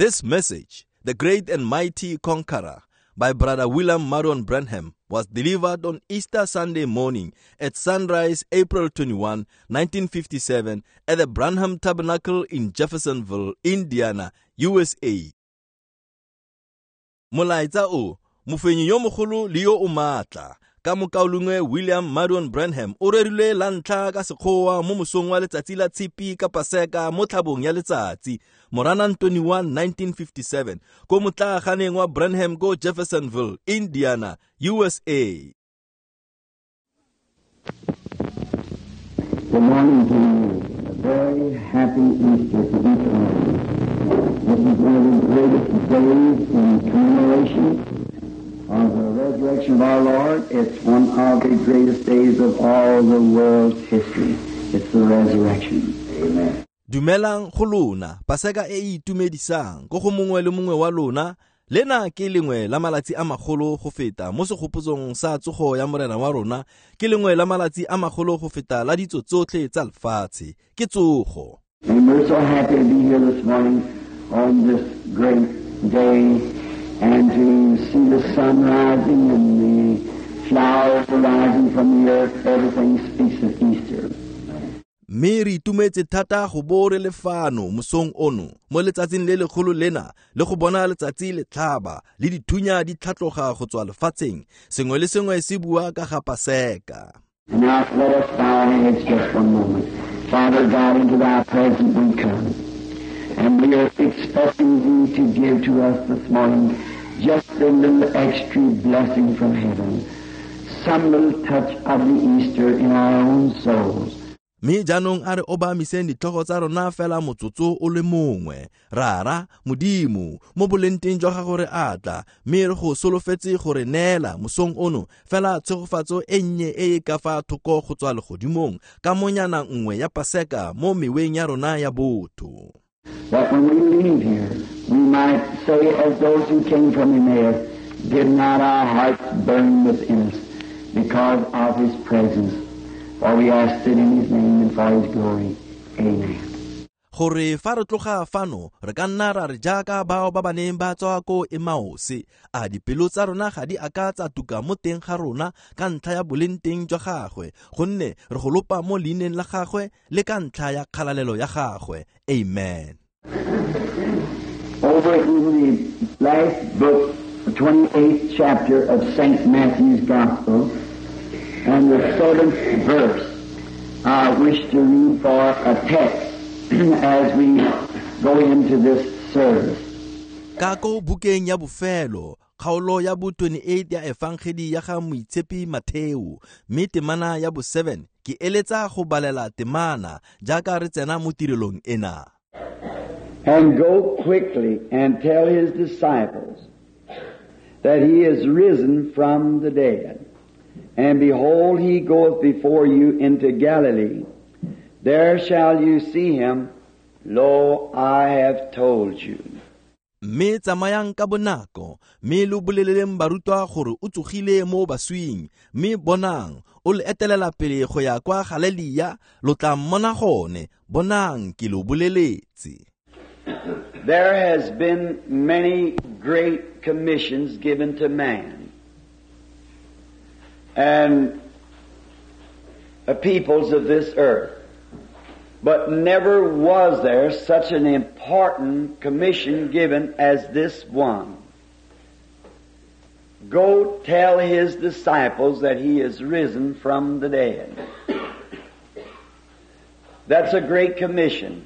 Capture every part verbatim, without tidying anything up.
This message, The Great and Mighty Conqueror, by Brother William Marion Branham, was delivered on Easter Sunday morning at sunrise, April twenty-one, nineteen fifty-seven, at the Branham Tabernacle in Jeffersonville, Indiana, U S A. Molaetsa o, mofenyi yo mogolo le yo o maatla, ka mokaulengwe William Marion Branham o rerilwe la ntlha ka Sekgowa mo mosong wa letsatsi la Tshipi ka Paseka mo tlhabong ya letsatsi, Moranang twenty-one, nineteen fifty-seven, ko motlaaganeng wa Branham ko Jeffersonville, Indiana, U S A. Good morning to you. A very happy Easter to each one of you. This is one of the greatest days in commemoration of the resurrection of our Lord. It's one of the greatest days of all the world's history. It's the resurrection. Amen. Dumelang go lona, Paseka e e itumedisang ko go mongwe le mongwe wa lona. Lena ke lengwe la malatsi a magolo go feta mo segopotsong sa tsogo ya Morena wa rona, ke lengwe la malatsi a magolo go feta la ditso tsotlhe tsa lefatshe, ke tsogo. And we're so happy to be here this morning on this great day and to see the sun rising and the flowers rising from the earth. Everything speaks of Easter. Mme re itumetse thata go bo re le fano mosong ono mo letsatsing le legolo lena le go bona letsatsi le tlhaba le dithunya di tlhatloga go tswa lefatsheng, sengwe le sengwe se bua ka ga Paseka. And now let us bow our heads just one moment. Father God, into thy presence we come, and we are expecting thee to give to us this morning just a little extra blessing from heaven, some little touch of the Easter in our own souls. Mme jaanong a re obamiseng ditlhogo tsa rona fela motsotso o le mongwe. Rara, Modimo, mo bolenteng jwa gago re a tla, mme re go solofetse gore neela mosong ono fela tshegofatso e nnye e e ka fa thoko go tswa legodimong ka monyana nngwe ya Paseka mo meweng ya rona ya botho. That when we leave here, we might say as those who came from Emmaus, did not our hearts burn within us because of his presence? For we ask it in his name and for his glory. Amen. Gore fa re tloga fano re ka nna ra re jaaka bao ba ba neng ba tswa ko Emmaus, a dipelo tsa rona ga di a ka tsa tuka mo teng ga rona ka ntlha ya bolenteng jwa gagwe, gonne re go lopa mo leineng la gagwe le ka ntlha ya kgalalelo ya gagwe. Amen. Over in the last book, the twenty-eighth chapter of Saint Matthew's Gospel, and the seventh verse, I wish to read for a text as we go into this service. Ka ko bukeng ya bofelo, kgaolo ya bo twenty-eight ya Efangeli ya ga Moitshepi Matheo, mme temana ya bo seven, ke eletsa go balela temana jaaka re tsena mo tirelong ena. And go quickly and tell his disciples that he is risen from the dead. And behold, he goeth before you into Galilee. There shall you see him. Lo, I have told you. Mme tsamayang ka bonako, mme lo boleleleng barutwa gore o tsogile mo baswing, mme bonang, o le etelela pele go ya kwa Galelia, lo tla mmona gone, bonang ke lo boleletse. There has been many great commissions given to man and the peoples of this earth. But never was there such an important commission given as this one. Go tell his disciples that he is risen from the dead. That's a great commission.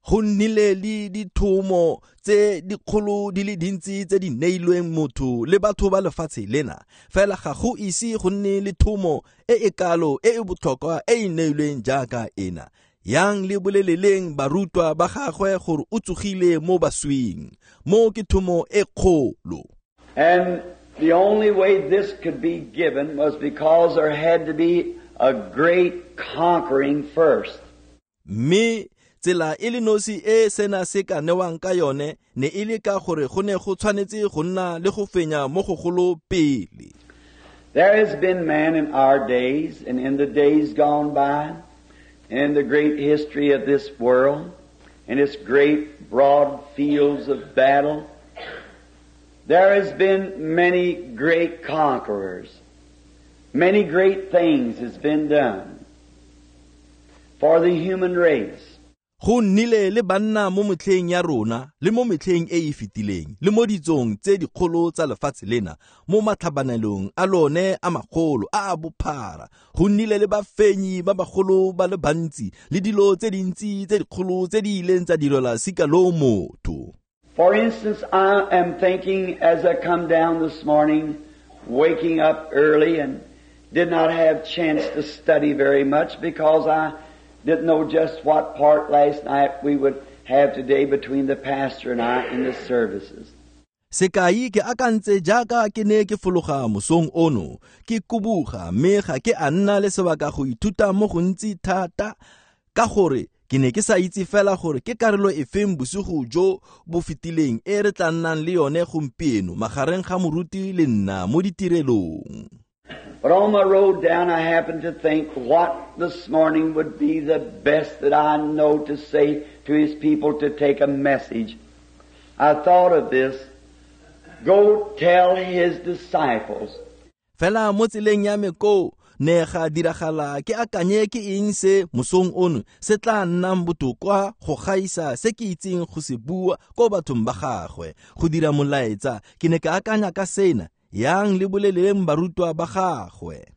Go nnile le dithomo tse dikgolo di le dintsi tse di neilweng motho le batho ba lefatshe lena, fela ga go ise go nne le thomo e e kalo e e botlhokwa e e neilweng jaaka ena. Yang le boleleleng barutwa ba gagwe gore o tsogile mo baswing. Mo ke thomo e kgolo. And the only way this could be given was because there had to be a great conquering first. Mme tsela e le nosi e sena se ka newang ka yone ne e le ka gore go ne go tshwanetse go nna le go fenya mo gogolo pele. There has been man in our days and in the days gone by, in the great history of this world, in its great broad fields of battle, there has been many great conquerors. Many great things has been done for the human race. Go nnile le banna mo metlheng ya rona le mo metlheng e e fetileng le mo ditsong tse dikgolo tsa lefatshe lena mo matlhabanelong a lone a magolo a a bophara go nnile le bafenyi ba bagolo ba le bantsi le dilo tse dintsi tse dikgolo tse di ileng tsa direlwa sika lo motho. For instance, I am thinking as I come down this morning, waking up early and did not have chance to study very much because I didn't know just what part last night we would have today between the pastor and I in the services. Sekai ke akantse jaaka ke ne ke fologa mosong ono ke kubuga mme ga ke a nna le sebaka go ithuta mo gontsi thata ka gore ke ne ke sa itse fela gore ke karolo efeng bosigo jo bo fetileng e re tla nnang le yone gompieno magareng ga moruti le nna mo ditirelong. But on my road down, I happened to think what this morning would be the best that I know to say to His people to take a message. I thought of this. Go tell His disciples. Fela mo tseleng ya me ko ne ga diragala ke akanye ke eng se mosong ono se tla nnang botoka go gaisa se ke itseng go se bua ko bathong ba gagwe go dira molaetsa ke ne ka akanya ka sena yang le boleleng barutwa ba gagwe.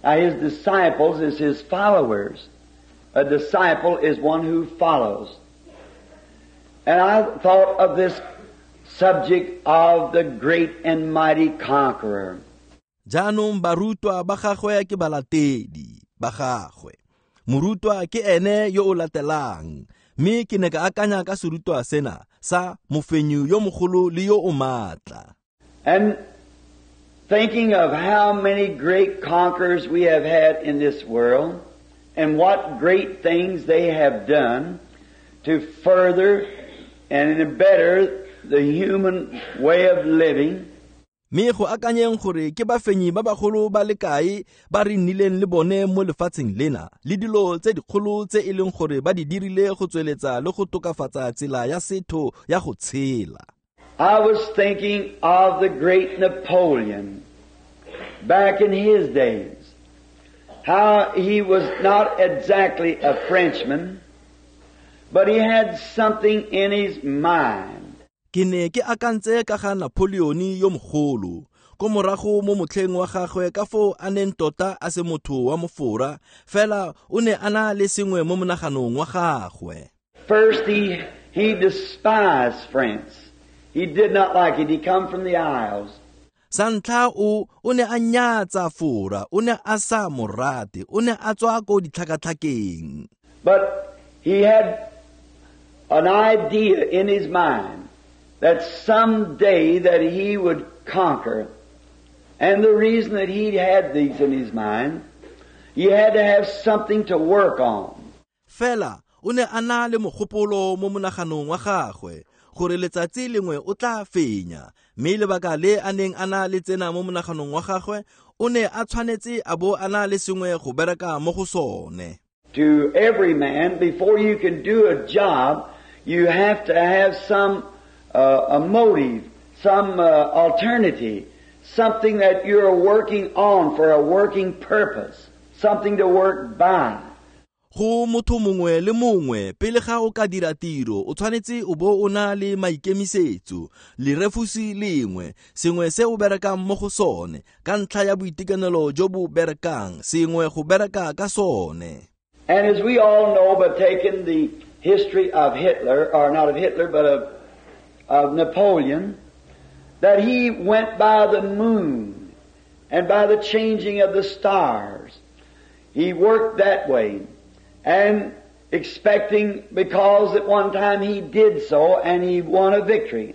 Now his disciples is his followers. A disciple is one who follows. And I thought of this subject of the great and mighty conqueror. Jaanong barutwa ba gagwe ke balatedi ba gagwe. Morutwa ke ene yo o latelang. Mme ke ne ka akanya ka serutwa sena sa mofenyi yo mogolo le yo o maatla. And thinking of how many great conquerors we have had in this world and what great things they have done to further and better the human way of living. Mme go akanyeng gore ke bafenyi ba bagolo ba le kae ba re nnileng le bone mo lefatsheng lena le dilo tse dikgolo tse e leng gore ba di dirile go tsweletsa le go tokafatsa tsela ya setho ya go tshela. I was thinking of the great Napoleon back in his days. How he was not exactly a Frenchman, but he had something in his mind. Ke ne ke akantse ka ga Napoleon yo mogolo ko morago mo motlheng wa gagwe ka foo a neng tota a se motho wa mofora fela o ne a na le sengwe mo monaganong wa gagwe. First he, he despised France. He did not like it. He come from the Isles. Sa ntlha o o ne a nyatsa Fora, o ne a sa morate, o ne a tswa ko ditlhakatlhakeng. But he had an idea in his mind that someday that he would conquer. And the reason that he had these in his mind, he had to have something to work on. Fela o ne a na le mogopolo mo monaganong wa gagwe gore letsatsi lengwe o tla fenya, mme lebaka le a neng a na le tsena mo monaganong wa gagwe o ne a tshwanetse a bo a na le sengwe go bereka mo go sone. To every man, before you can do a job, you have to have some uh, a motive, some uh, alternative, something that you're working on for a working purpose, something to work by. Go motho mongwe le mongwe pele ga o ka dira tiro o tshwanetse o bo o na le maikemisetso le refusi lengwe sengwe se o berekang mo go sone ka ntlha ya boitekanelo jo bo berekang sengwe go bereka ka sone. And as we all know, but taking the history of Hitler, or not of Hitler, but of, of Napoleon, that he went by the moon and by the changing of the stars. He worked that way. And expecting, because at one time he did so and he won a victory.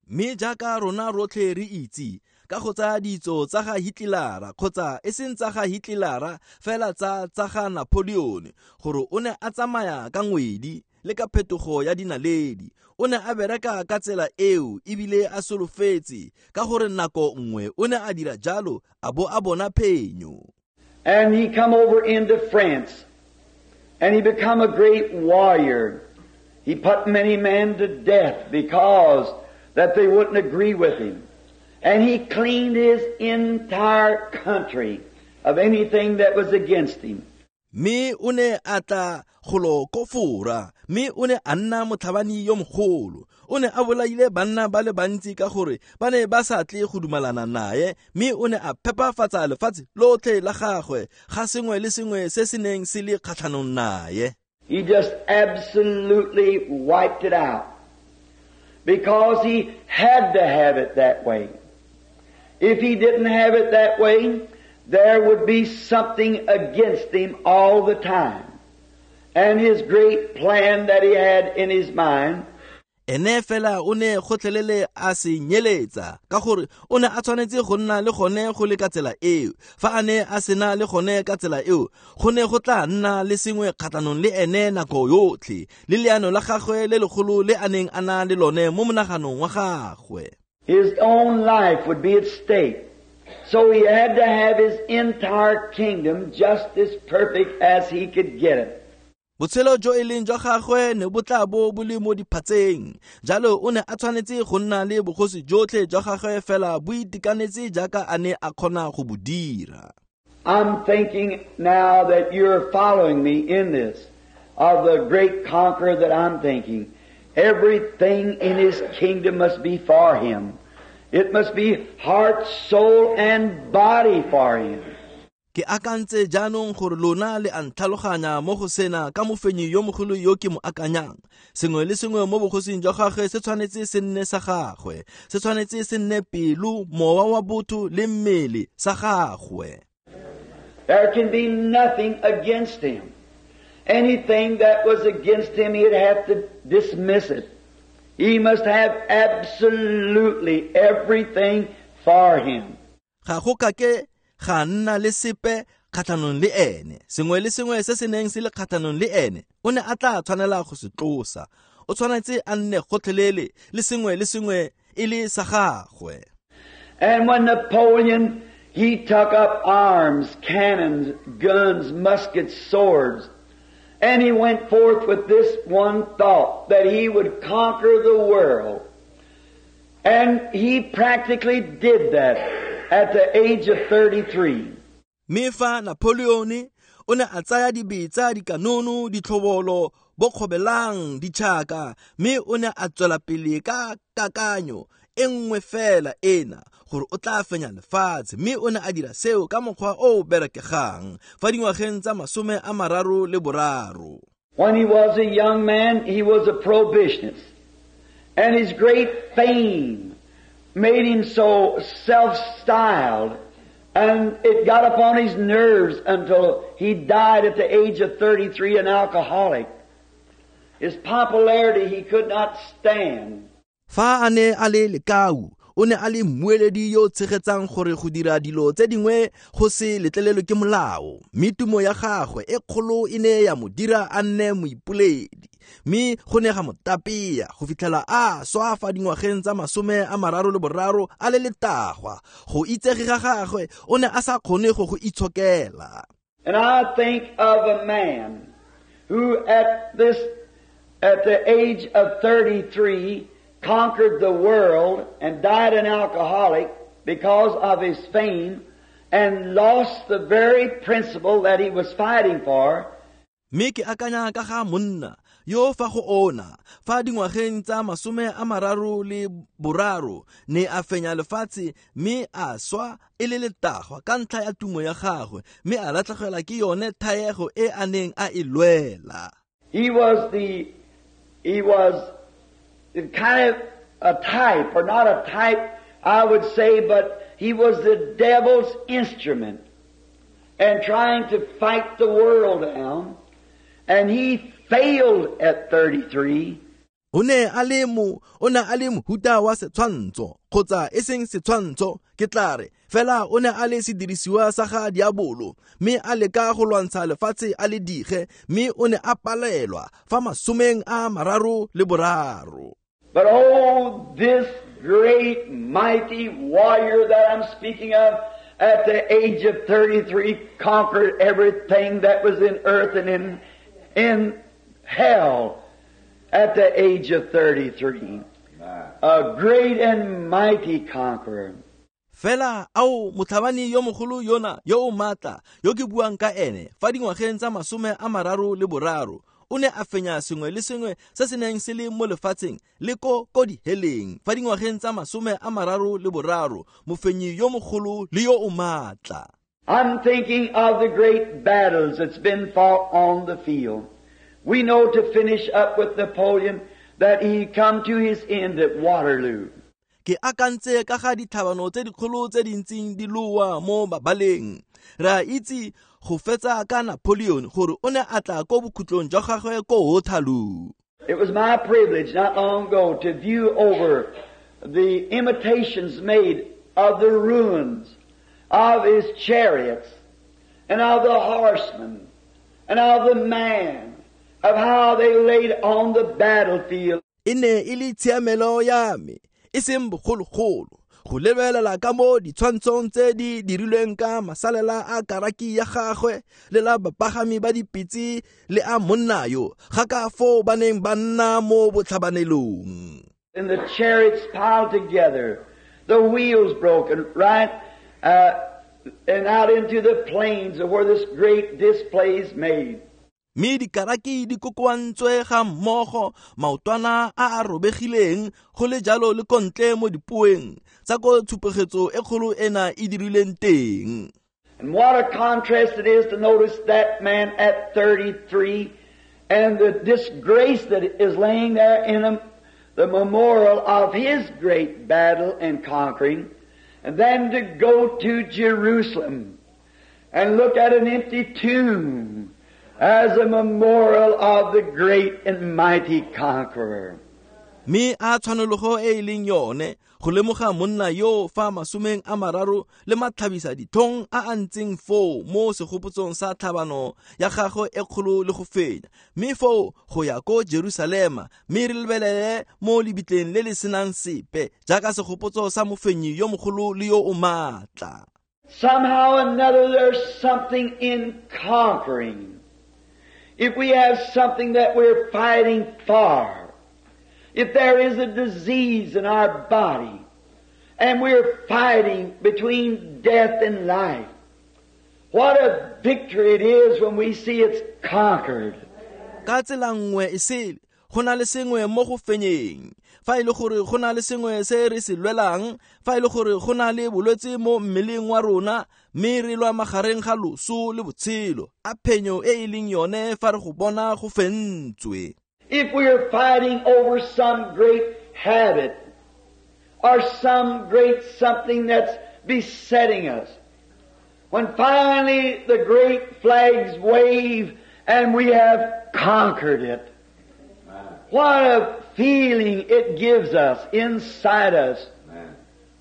Mme jaaka rona rotlhe re itse ka go tsaya ditso tsa ga Hitler kgotsa e seng tsa ga Hitler fela tsa tsa ga Napoleon gore o ne a tsamaya ka ngwedi le ka phetogo ya dinaledi o ne a bereka ka tsela eo ebile a solofetse ka gore nako nngwe o ne a dira jalo a bo a bona phenyo. And he come over into France. And he become a great warrior. He put many men to death because that they wouldn't agree with him. And he cleaned his entire country of anything that was against him. Mme o ne a tla golo ko Fora, mme o ne a nna motlhabani yo mogolo. O ne a bolaile banna ba le bantsi ka gore ba ne ba sa tle go dumalana naye, mme o ne a phepafatsa lefatshe lotlhe la gagwe ga sengwe le sengwe se se neng se le kgatlhanong naye. He just absolutely wiped it out because he had to have it that way. If he didn't have it that way, there would be something against him all the time. And his great plan that he had in his mind, Ene fela o ne gotlhelele a se nyeletsa ka gore o ne a tshwanetse go nna le gone go le ka tsela eo. Fa a ne a sena le gone ka tsela eo, go ne go tla nna le sengwe kgatlhanong le ene nako yotlhe, le leano la gagwe le legolo le a neng a na le lone mo monaganong wa gagwe. His own life would be at stake. So he had to have his entire kingdom just as perfect as he could get it. Botshelo jo e leng jwa gagwe ne bo tla bo bo le mo diphatseng. Jalo o ne a tshwanetse go nna le bogosi jotlhe jwa gagwe fela bo itekanetse jaaka a ne a kgona go bo dira. I'm thinking now that you're following me in this, of the great conqueror that I'm thinking. Everything in his kingdom must be for him. It must be heart, soul, and body for him. Ke akantse jaanong gore lona le a ntlhaloganya mo go sena ka mofenyi yo mogolo yo ke mo akanyang. Sengwe le sengwe mo bogosing jwa gagwe se tshwanetse se nne sa gagwe, se tshwanetse se nne pelo, mowa wa botho le mmele sa gagwe. There can be nothing against him. Anything that was against him, he'd have to dismiss it. He must have absolutely everything for him. Ga go kake ga nna le sepe kgatlhanong le ene. Sengwe le sengwe se se neng se le kgatlhanong le ene, o ne a tla tshwanela go se tlosa. O tshwanetse a nne gotlhelele le sengwe le sengwe e le sa gagwe. And when Napoleon, he took up arms, cannons, guns, muskets, swords, and he went forth with this one thought, that he would conquer the world. And he practically did that at the age of thirty-three. Mme fa Napoleon o ne a tsaya dibetsa, dikanono, ditlhobolo, bokgobelang, ditšhaka, mme o ne a tswela pele ka kakanyo e nngwe fela ena, gore o tla fenya lefatshe. Mme o ne a dira seo ka mokgwa o o berekegang fa dingwageng tsa masome a mararo le boraro. When he was a young man, he was a prohibitionist. And his great fame made him so self-styled, and it got upon his nerves until he died at the age of thirty-three, an alcoholic. His popularity he could not stand. Fa a ne a le lekau, o ne a le mmueledi yo o tshegetsang gore go dira dilo tse dingwe go se letlelelwe ke molao. Mme tumo ya gagwe e kgolo e ne ya mo dira a nne moipoledi, mme go ne ga mo tapea go fitlhela a swa fa dingwageng tsa masome a mararo le boraro a le letagwa. Go itsege ga gagwe o ne a sa kgone go go itshokela. And I think of a man who at this, at the age of thirty-three, conquered the world and died an alcoholic because of his fame and lost the very principle that he was fighting for. Mme ke akanya ka ga monna yo fa go ona fa dingwageng tsa masome a mararo le boraro ne a fenya lefatshe, mme a swa e le letagwa ka ntlha ya tumo ya gagwe, mme a latlhegelwa ke yone thaego e a neng a e lwela. He was the, he was kind of a type, or not a type, I would say, but he was the devil's instrument and trying to fight the world down. And he failed at thirty-three. O ne a le mo, o ne a le mohuta wa setshwantsho, kgotsa e seng setshwantsho, ke tla re, fela o ne a le sedirisiwa sa ga diabolo, mme a leka go lwantsha lefatshe a le dige, mme o ne a palelwa fa masomeng a mararo le boraro. But oh, this great mighty warrior that I'm speaking of, at the age of thirty-three, conquered everything that was in earth and in, in hell. at the age of thirty-three. A great and mighty conqueror. Fela ao motlhabani yo mogolo yona yo o maatla yo ke buang ka ene fa dingwageng tsa masome a mararo le boraro o ne a fenya sengwe le sengwe se se neng se le mo lefatsheng le ko ko diheleng fa dingwageng tsa masome a mararo le boraro mofenyi yo mogolo le yo o maatla. I'm thinking of the great battles that's been fought on the field. We know to finish up with Napoleon that he come to his end at Waterloo. Ke akantse ka ga ditlhabano tse dikgolo tse dintseng di loa mo mabaleng. Re a itse go fetsa ka Napoleon gore o ne a tla ko bokhutlong jwa gagwe ko Waterloo. It was my privilege not long ago to view over the imitations made of the ruins of his chariots and of the horsemen and of the man, of how they laid on the battlefield. E ne e le tshiamelo ya me e seng bogologolo go lebelela ka mo ditshwantshong tse di dirilweng ka masalela a karaki ya gagwe le la bapagami ba dipitse le a monna yo ga ka foo ba neng ba nna mo botlhabanelong. And the chariots piled together, the wheels broken right uh, and out into the plains of where this great display is made. Mme dikaraki di kokoantswe ga mmogo maotwana a a robegileng go le jalo le kontle mo dipoeng tsa ko tshupegetso e kgolo ena e dirileng teng. And what a contrast it is to notice that man at thirty-three and the disgrace that is laying there in him, the memorial of his great battle and conquering, and then to go to Jerusalem and look at an empty tomb as a memorial of the great and mighty conqueror. Me a tshwanologo e e leng yone go lemoga monna yo fa masomeng a mararo le matlhabisa ditlhong a a ntseng foo mo segopotsong sa tlhabano ya gagwe e kgolo le go fenya, mme foo go ya ko Jerusalema mme re lebelele mo lebitleng le le senang sepe jaaka segopotso sa mofenyi yo mogolo le yo o maatla. Somehow or another there's something in conquering. If we have something that we're fighting for, if there is a disease in our body, and we're fighting between death and life, what a victory it is when we see it's conquered. Ka tsela nngwe e sele, go na le sengwe mo go fenyeng. Fa e le gore go na le sengwe se re se lwelang, fa e le gore go na le bolwetse mo mmeleng wa rona, mme re lwa magareng ga loso le botshelo, a phenyo e e leng yone fa re go bona go fentswe. If we are fighting over some great habit or some great something that's besetting us, when finally the great flags wave and we have conquered it, what a feeling it gives us inside us.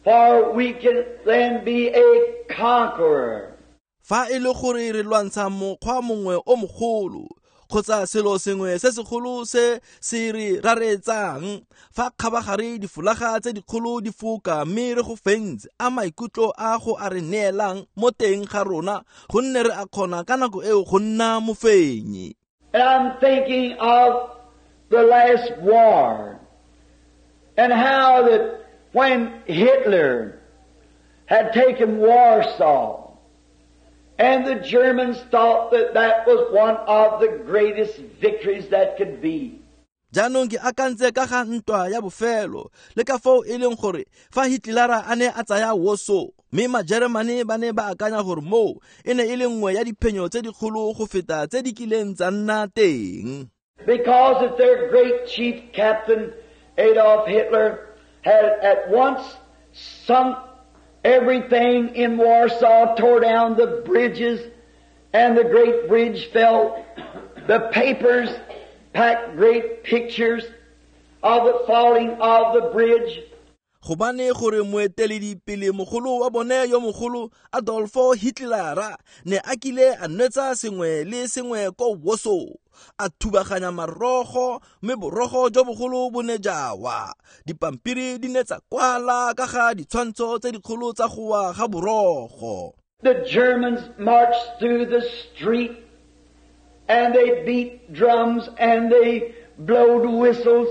For we can then be a conqueror. Fa e le gore re lwantsha mokgwa mongwe o mogolo kgotsa selo sengwe se segolo se se re raretsang, fa kgabagare difolaga tse dikgolo di foka mme re go fentse, a maikutlo a go a re neelang mo teng ga rona gonne re a kgona ka nako eo go nna mofenyi. And I'm thinking of the last war and how that when Hitler had taken Warsaw, and the Germans thought that that was one of the greatest victories that could be. Jaanong ke akantse ka ga ntwa ya bofelo le ka foo e leng gore fa Hitlera a ne a tsaya Warsaw, mme Majeremane ba ne ba akanya gore moo e ne e le nngwe ya diphenyo tse dikgolo go feta tse di kileng tsa nna teng. Because if their great chief captain Adolf Hitler had at once sunk everything in Warsaw, tore down the bridges, and the great bridge fell. The papers packed great pictures of the falling of the bridge. Gobane gore moeteledipele mogolo wa bone yo mogolo Adolfo Hitler ne a kile a nwetsa sengwe le sengwe ko Warsaw, a thubaganya marogo mme borogo jo bogolo bo ne jawa. Dipampiri di ne tsa kwala ka ga ditshwantsho tse dikgolo tsa go wa ga borogo. The Germans marched through the street and they beat drums and they blowed whistles,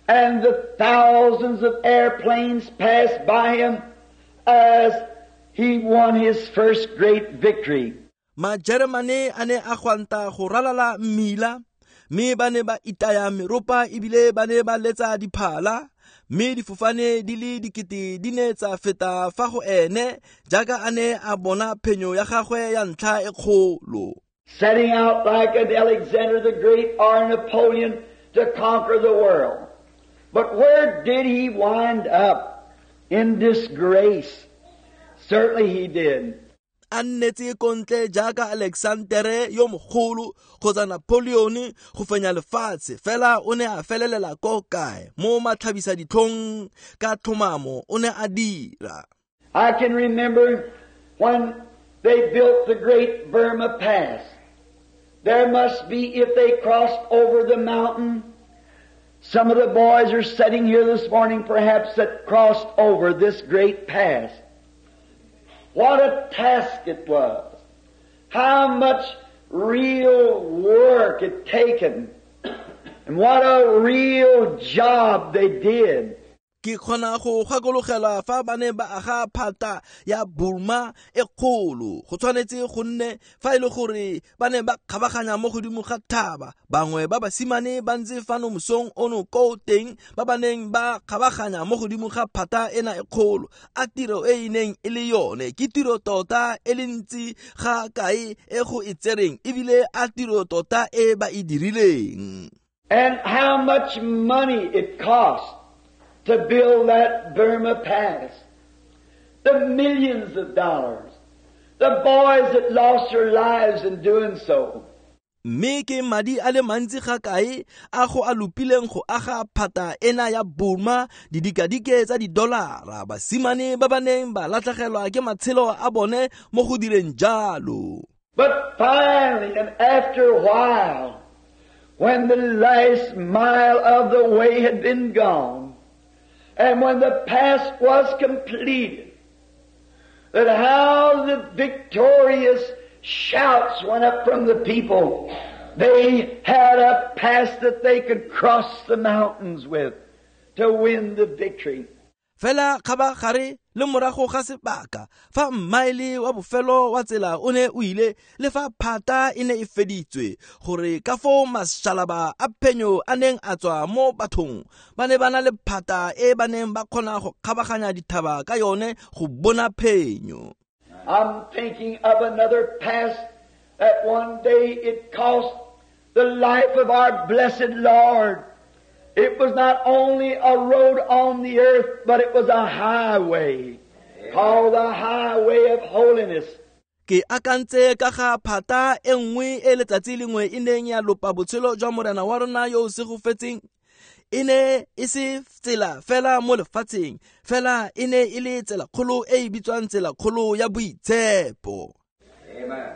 and the thousands of airplanes passed by him as he won his first great victory. Majeremane a ne a gwanta go ralala mmila, mme ba ne ba itaya meropa ebile ba ne ba letsa diphala, mme difofane di le dikete di ne tsa feta fa go ene jaaka a ne a bona phenyo ya gagwe ya ntlha e kgolo. Setting out like an Alexander the Great or Napoleon to conquer the world. But where did he wind up? In disgrace. Certainly he did. A nnetse kontle jaaka Alexandere yo mogolo kgotsa Napoleon go fenya lefatshe, fela o ne a felelela ko kae? Mo matlhabisa ditlhong ka tlhomamo o ne a dira. I can remember when they built the great Burma Pass. There must be, if they crossed over the mountain, some of the boys are sitting here this morning perhaps that crossed over this great pass. What a task it was. How much real work it taken. And what a real job they did. Ke kgona go gakologelwa fa ba ne ba aga phata ya Burma e kgolo. Go tshwanetse go nne fa e le gore ba ne ba kgabaganya mo godimo ga thaba. Bangwe ba basimane ba ntse fano mosong ono ko teng ba ba neng ba kgabaganya mo godimo ga phata ena e kgolo. A tiro e e neng e le yone ke tiro tota e le ntsi ga kae e go e tsereng, ebile a tiro tota e ba e dirileng. And how much money it cost to build that Burma Pass. The millions of dollars. The boys that lost their lives in doing so. Mme ke madi a le mantsi ga kae a go a lopileng go aga phata ena ya Burma, didikadike tsa didolara, basimane ba ba neng ba latlhegelwa ke matshelo a bone mo go direng jalo. But finally and after a while, when the last mile of the way had been gone, and when the pass was completed, that how the victorious shouts went up from the people. They had a pass that they could cross the mountains with to win the victory. Fela kgabagare le morago ga sebaka fa mmaele wa bofelo wa tsela o ne o ile le fa phata e ne e feditswe, gore ka foo mašalaba a phenyo a neng a tswa mo bathong ba ne ba na le phata e ba neng ba kgona go kgabaganya dithaba ka yone go bona phenyo. I'm thinking of another pass that one day it cost the life of our blessed Lord. It was not only a road on the earth, but it was a highway called the highway of holiness. Ke akantse ka ga phata e nngwe e letsatsi lengwe e neng ya lopa botshelo jwa morena wa rona yo o segofetseng. E ne e se tsela fela mo lefatsheng, fela e ne e le tsela kgolo e e bitswang tsela kgolo ya boitshepo.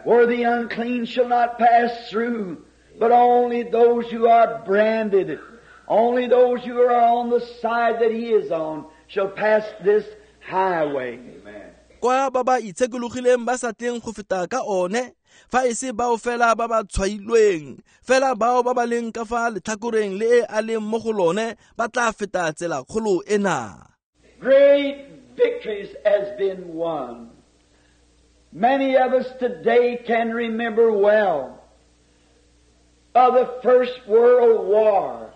Where the unclean shall not pass through, but only those who are branded, only those who are on the side that he is on shall pass this highway. Amen. Kwa ba ba itshekologileng ba sa tleng go feta ka one, fa e se bao fela ba ba tshwailweng, fela bao ba ba leng ka fa letlhakoreng le e a leng mo go lone ba tla feta tsela kgolo ena. Great victories has been won. Many of us today can remember well of the First World War.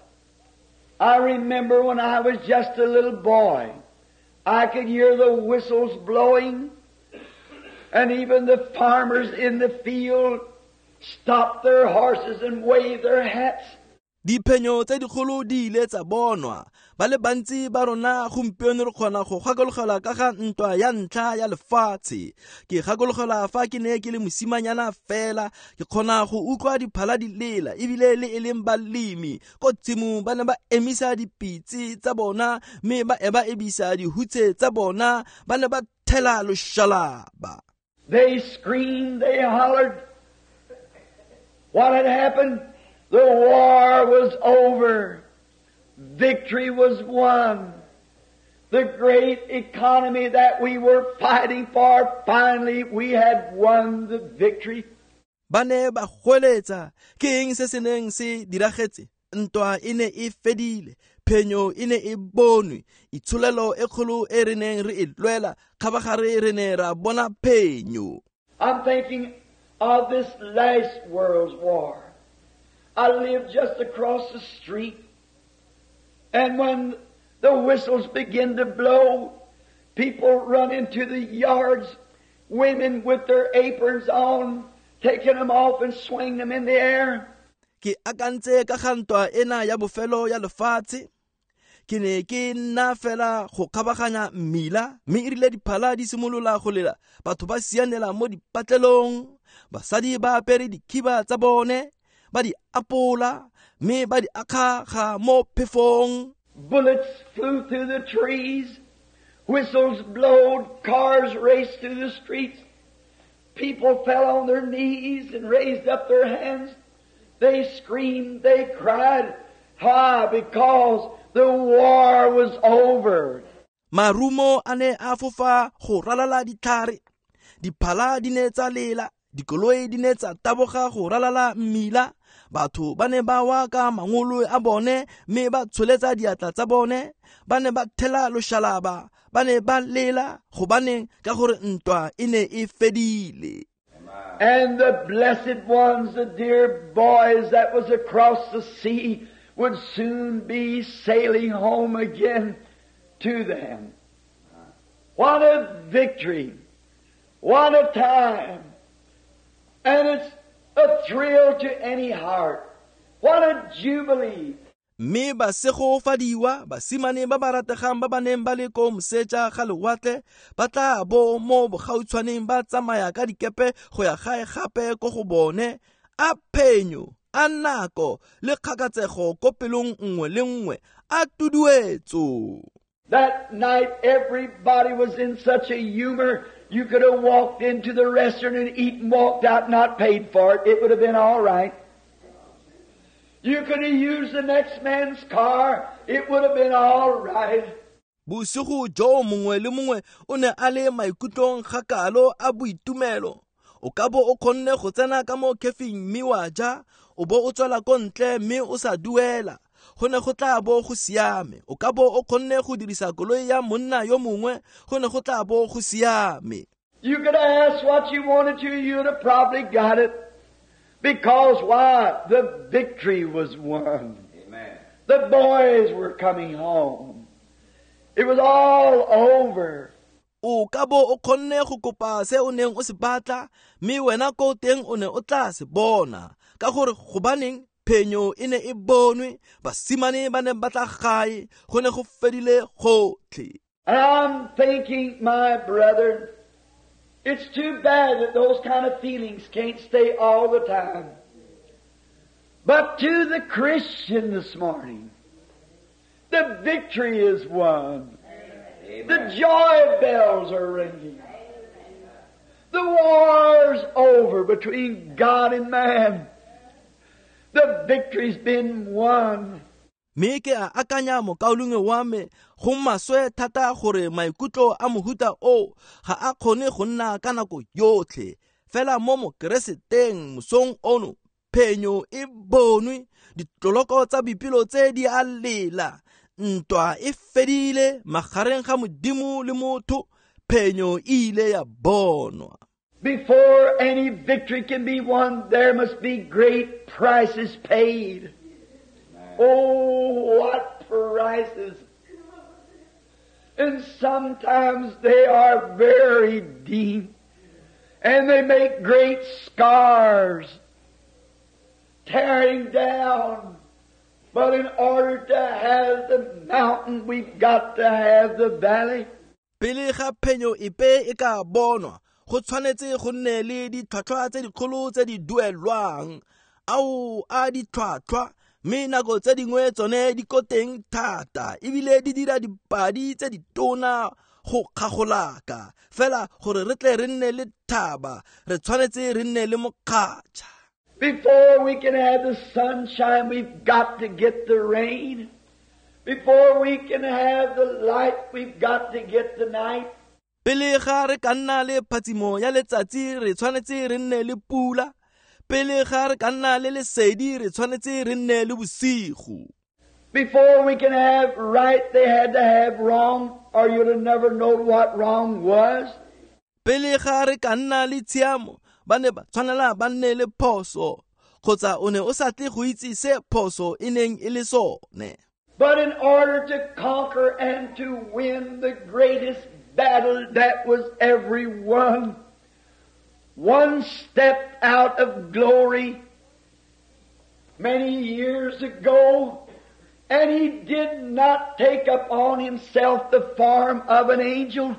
I remember when I was just a little boy, I could hear the whistles blowing, and even the farmers in the field stopped their horses and waved their hats. Diphenyo tse dikgolo di ile tsa bonwa. Ba le bantsi ba rona gompieno re kgona go gakologelwa ka ga ntwa ya ntlha ya lefatshe. Ke gakologelwa fa ke ne ke le mosimanyana fela, ke kgona go utlwa diphala di lela, ebile le e leng balemi ko tshimong ba ne ba emisa dipitse tsa bona mme ba eba ebisa dihutshe tsa bona, ba ne ba thela loshalaba. They screamed, they hollered. What had happened? The war was over. Victory was won. The great economy that we were fighting for, finally we had won the victory. Ba ne ba goeletsa, ke eng se se neng se diragetse? Ntwa e ne e fedile, phenyo e ne e bonwe, itsholelo e kgolo e re neng re e lwela, kgabagare re ne ra bona phenyo. I'm thinking of this last world's war. I lived just across the street, and when the whistles begin to blow, people run into the yards, women with their aprons on, taking them off and swinging them in the air. Ke akantse ka ga ntwa ena ya bofelo ya lefatshe. Ke ne ke nna fela go kgabaganya mmila, mme e rile diphala di simolola go lela, batho ba sianela mo dipatlelong, basadi ba apere dikhiba tsa bone, ba di apola, mme ba di akgaga mo phefong. Bullets flew through the trees, whistles blowed, cars raced through the streets. People fell on their knees and raised up their hands. They screamed, they cried. Why? Because the war was over. Marumo a ne a fofa go ralala ditlhare, diphala di ne tsa lela, dikoloi di ne tsa taboga go ralala mmila, batho ba ne ba wa ka mangolo a bone mme ba tsholetsa diatla tsa bone, ba ne ba thela loshalaba, ba ne ba lela gobaneng ka gore ntwa e ne e fedile. And the blessed ones, the dear boys that was across the sea, would soon be sailing home again to them. What a victory! What a time! And it's a thrill to any heart. What a jubilee! Mme ba segofadiwa basimane ba ba rategang ba ba neng ba le ko moseja ga lewatle ba tla bo mo bogautshwaneng ba tsamaya ka dikepe go ya gae gape ko go bone. A phenyo, a nako le kgakatsego ko pelong nngwe le nngwe, a tuduetso. That night everybody was in such a humor, you could have walked into the restaurant and eaten and walked out not paid for it. It would have been all right. You could have used the next man's car. It would have been all right. Bosigo jo mongwe le mongwe o ne a le maikutlong gakalo a boitumelo. O ka bo o kgonne go tsena ka mo kefing mme wa ja, o bo o tswela ko ntle mme o sa duela. Go ne go tla bo go siame. O ka bo o kgonne go dirisa koloi ya monna yo mongwe, go ne go tla bo go siame. You could ask what you wanted to, you'd have probably got it. Because why? The victory was won. Amen. The boys were coming home. It was all over. O ka bo o kgonne go kopa se o neng o se batla, mme wena ko teng o ne o tla se bona. Ka gore gobaneng phenyo e ne e bonwe, basimane ba ne ba tla gae, go ne go fedile gotlhe. And I'm thinking, my brother, it's too bad that those kind of feelings can't stay all the time. But to the Christian this morning, the victory is won. Amen. The joy bells are ringing. The war's over between God and man. The victory's been won. Mme ke a akanya mokaulengwe wa me, go maswe thata gore maikutlo a mohuta o ga a kgone go nna ka nako yotlhe. Fela mo mokereseteng mosong ono, phenyo e bonwe, ditloloko tsa boipelo tse di a lela, ntwa e fedile magareng ga Modimo le motho, phenyo e ile ya bonwa. Before any victory can be won, there must be great prices paid. Oh, what prices! And sometimes they are very deep, and they make great scars, tearing down. But in order to have the mountain, we've got to have the valley. Pele ga phenyo epe e ka bonwa, go tshwanetse go nne le ditlhwatlhwa tse dikgolo tse di duelwang. Ao a ditlhwatlhwa, mme nako tse dingwe tsone di ko teng thata, ebile di dira dipadi tse ditona go kgagolaka. Fela gore re tle re nne le thaba, re tshwanetse re nne le mokgatšha. Before we can have the sunshine, we've got to get the rain. Before we can have the light, we've got to get the night. Pele ga re ka nna le phatsimo ya letsatsi, re tshwanetse re nne le pula. Pele ga re ka nna le lesedi re tshwanetse re nne le bosigo. Before we can have right, they had to have wrong, or you'd have never known what wrong was. Pele ga re ka nna le tshiamo, ba ne ba tshwanela ba nne le phoso, kgotsa o ne o sa tle go itse se phoso e neng e le sone. But in order to conquer and to win the greatest battle that was ever won, one stepped out of glory many years ago, and he did not take upon himself the form of an angel.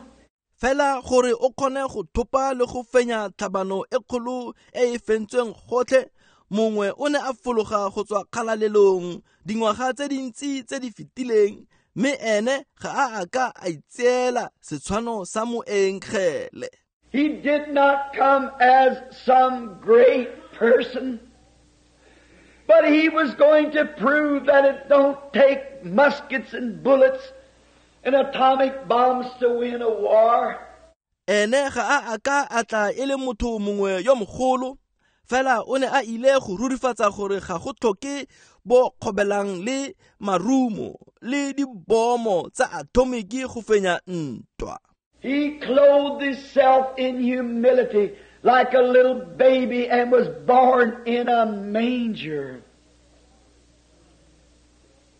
Fela gore o kgone go thopa le go fenya tlhabano e kgolo e e fentsweng gotlhe, mongwe o ne a fologa go tswa kgalalelong dingwaga tse dintsi tse di fetileng, mme ene ga a a ka a itseela setshwano sa moengele. He did not come as some great person, but he was going to prove that it don't take muskets and bullets and atomic bombs to win a war. Ene ga a a ka a tla e le motho mongwe yo mogolo, fela o ne a ile go rurifatsa gore ga go tlhoke bo kgobelang le marumo le dibomo tsa atomiki go fenya ntwa. He clothed himself in humility like a little baby and was born in a manger.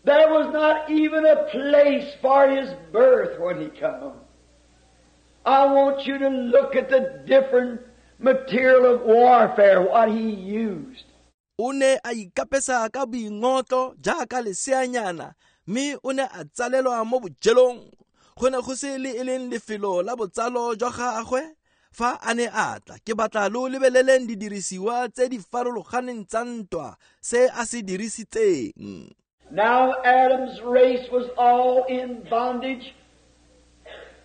There was not even a place for his birth when he came. I want you to look at the different material of warfare, what he used. O ne a ikapesa ka boingotlo jaaka leseanyana, mme o ne a tsalelwa mo bojelong. Go ne go se le e leng lefelo la botsalo jwa gagwe fa a ne a tla. Ke batla lo lebeleleng didirisiwa tse di farologaneng tsa ntwa se a se dirisitseng. Now Adam's race was all in bondage.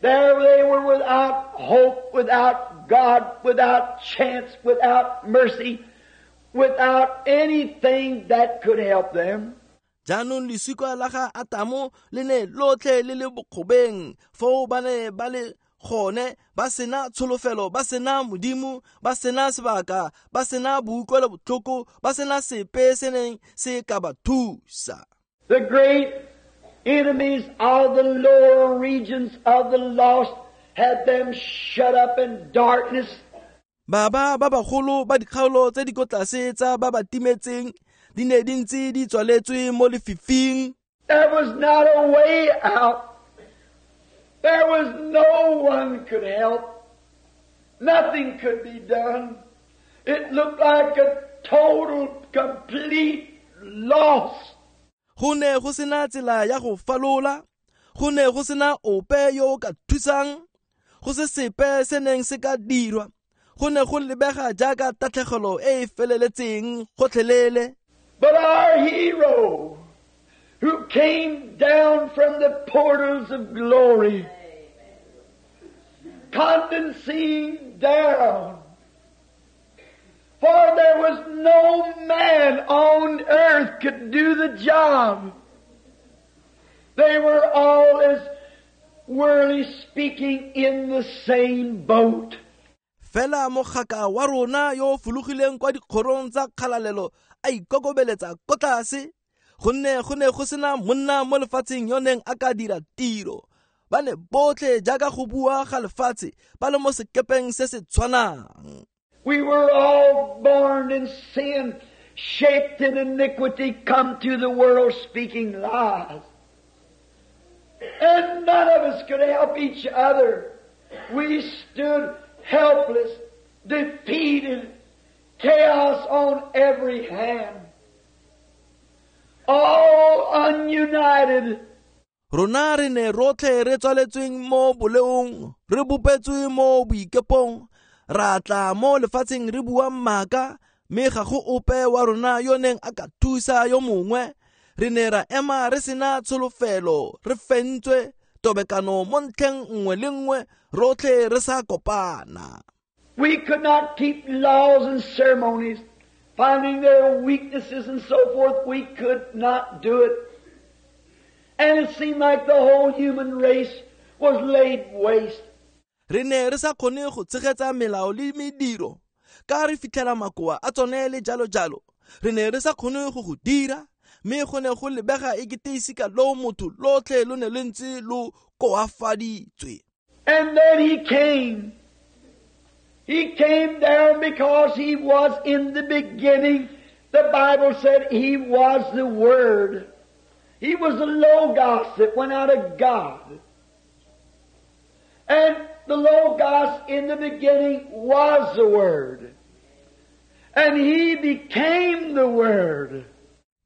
There they were without hope, without God, without chance, without mercy, without anything that could help them. Jaanong lesika la ga Atamo le ne lotlhe le le bokgobeng, foo ba ne ba le gone ba sena tsholofelo, ba sena Modimo, ba sena sebaka, ba sena boutlwelo botlhoko, ba sena sepe se neng se ka ba thusa. The great enemies of the lower regions of the lost had them shut up in darkness. Baba ba bagolo ba dikgaolo tse di ko tlase tsa ba ba timetseng di ne di ntse di tswaletswe mo lefifing. There was not a way out. There was no one could help. Nothing could be done. It looked like a total, complete loss. Go ne go sena tsela ya go falola, go ne go sena ope yo o ka thusang, go se sepe se neng se ka dirwa. Go ne go lebega jaaka tatlhegelo e e feleletseng gotlhelele. But our hero, who came down from the portals of glory, condescending down, for there was no man on earth could do the job. They were all, as worldly speaking, in the same boat. Fela mogaka wa rona yo fologileng kwa dikgorong tsa kgalalelo a ikokobeletsa ko tlase, gonne go ne go sena monna mo lefatsheng yo neng a ka dira tiro. Ba ne botlhe jaaka go bua ga lefatshe ba le mo sekepeng se se tshwanang. We were all born in sin, shaped in iniquity, come to the world speaking lies. And none of us could help each other. We stood helpless, defeated, chaos on every hand, all ununited. Rona re ne rotlhe re tswaletsweng mo boleong, re bopetswe mo boikepong, ra tla mo lefatsheng re bua maaka, mme ga go ope wa rona yo neng a ka thusa yo mongwe. Re ne ra ema re sena tsholofelo, re fentswe tobekano mo ntlheng nngwe le nngwe, rotlhe re sa kopana. We could not keep laws and ceremonies, finding their weaknesses and so forth. We could not do it. And it seemed like the whole human race was laid waste. Re ne re sa kgone go tshegetsa melao le mediro, Ka re fitlhela makoa a tsone le jalo jalo. Re ne re sa kgone go go dira, mme go ne go lebega e kete isika lo motho lotlhe lo ne le ntse lo koafaditswe. And then he came. He came down because he was in the beginning. The Bible said he was the Word. He was the Logos that went out of God. And the Logos in the beginning was the Word. And he became the Word.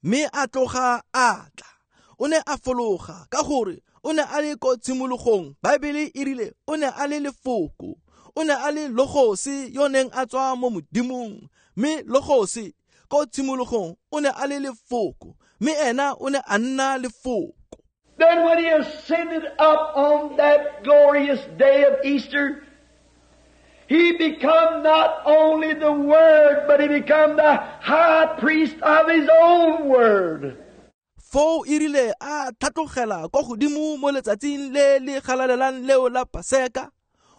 Mme a tloga a tla. O ne a fologa ka gore o ne a le ko tshimologong. Baebele e rile o ne a le lefoko. O ne a le logose yo neng a tswa mo Modimong. Mme logose ko tshimologong o ne a le lefoko. Mme ena o ne a nna lefoko. Then when he ascended up on that glorious day of Easter, he become not only the Word, but he become the high priest of his own Word. Foo e rile a tlhatlogela kwa godimo mo letsatsing le le galalelang leo la Paseka,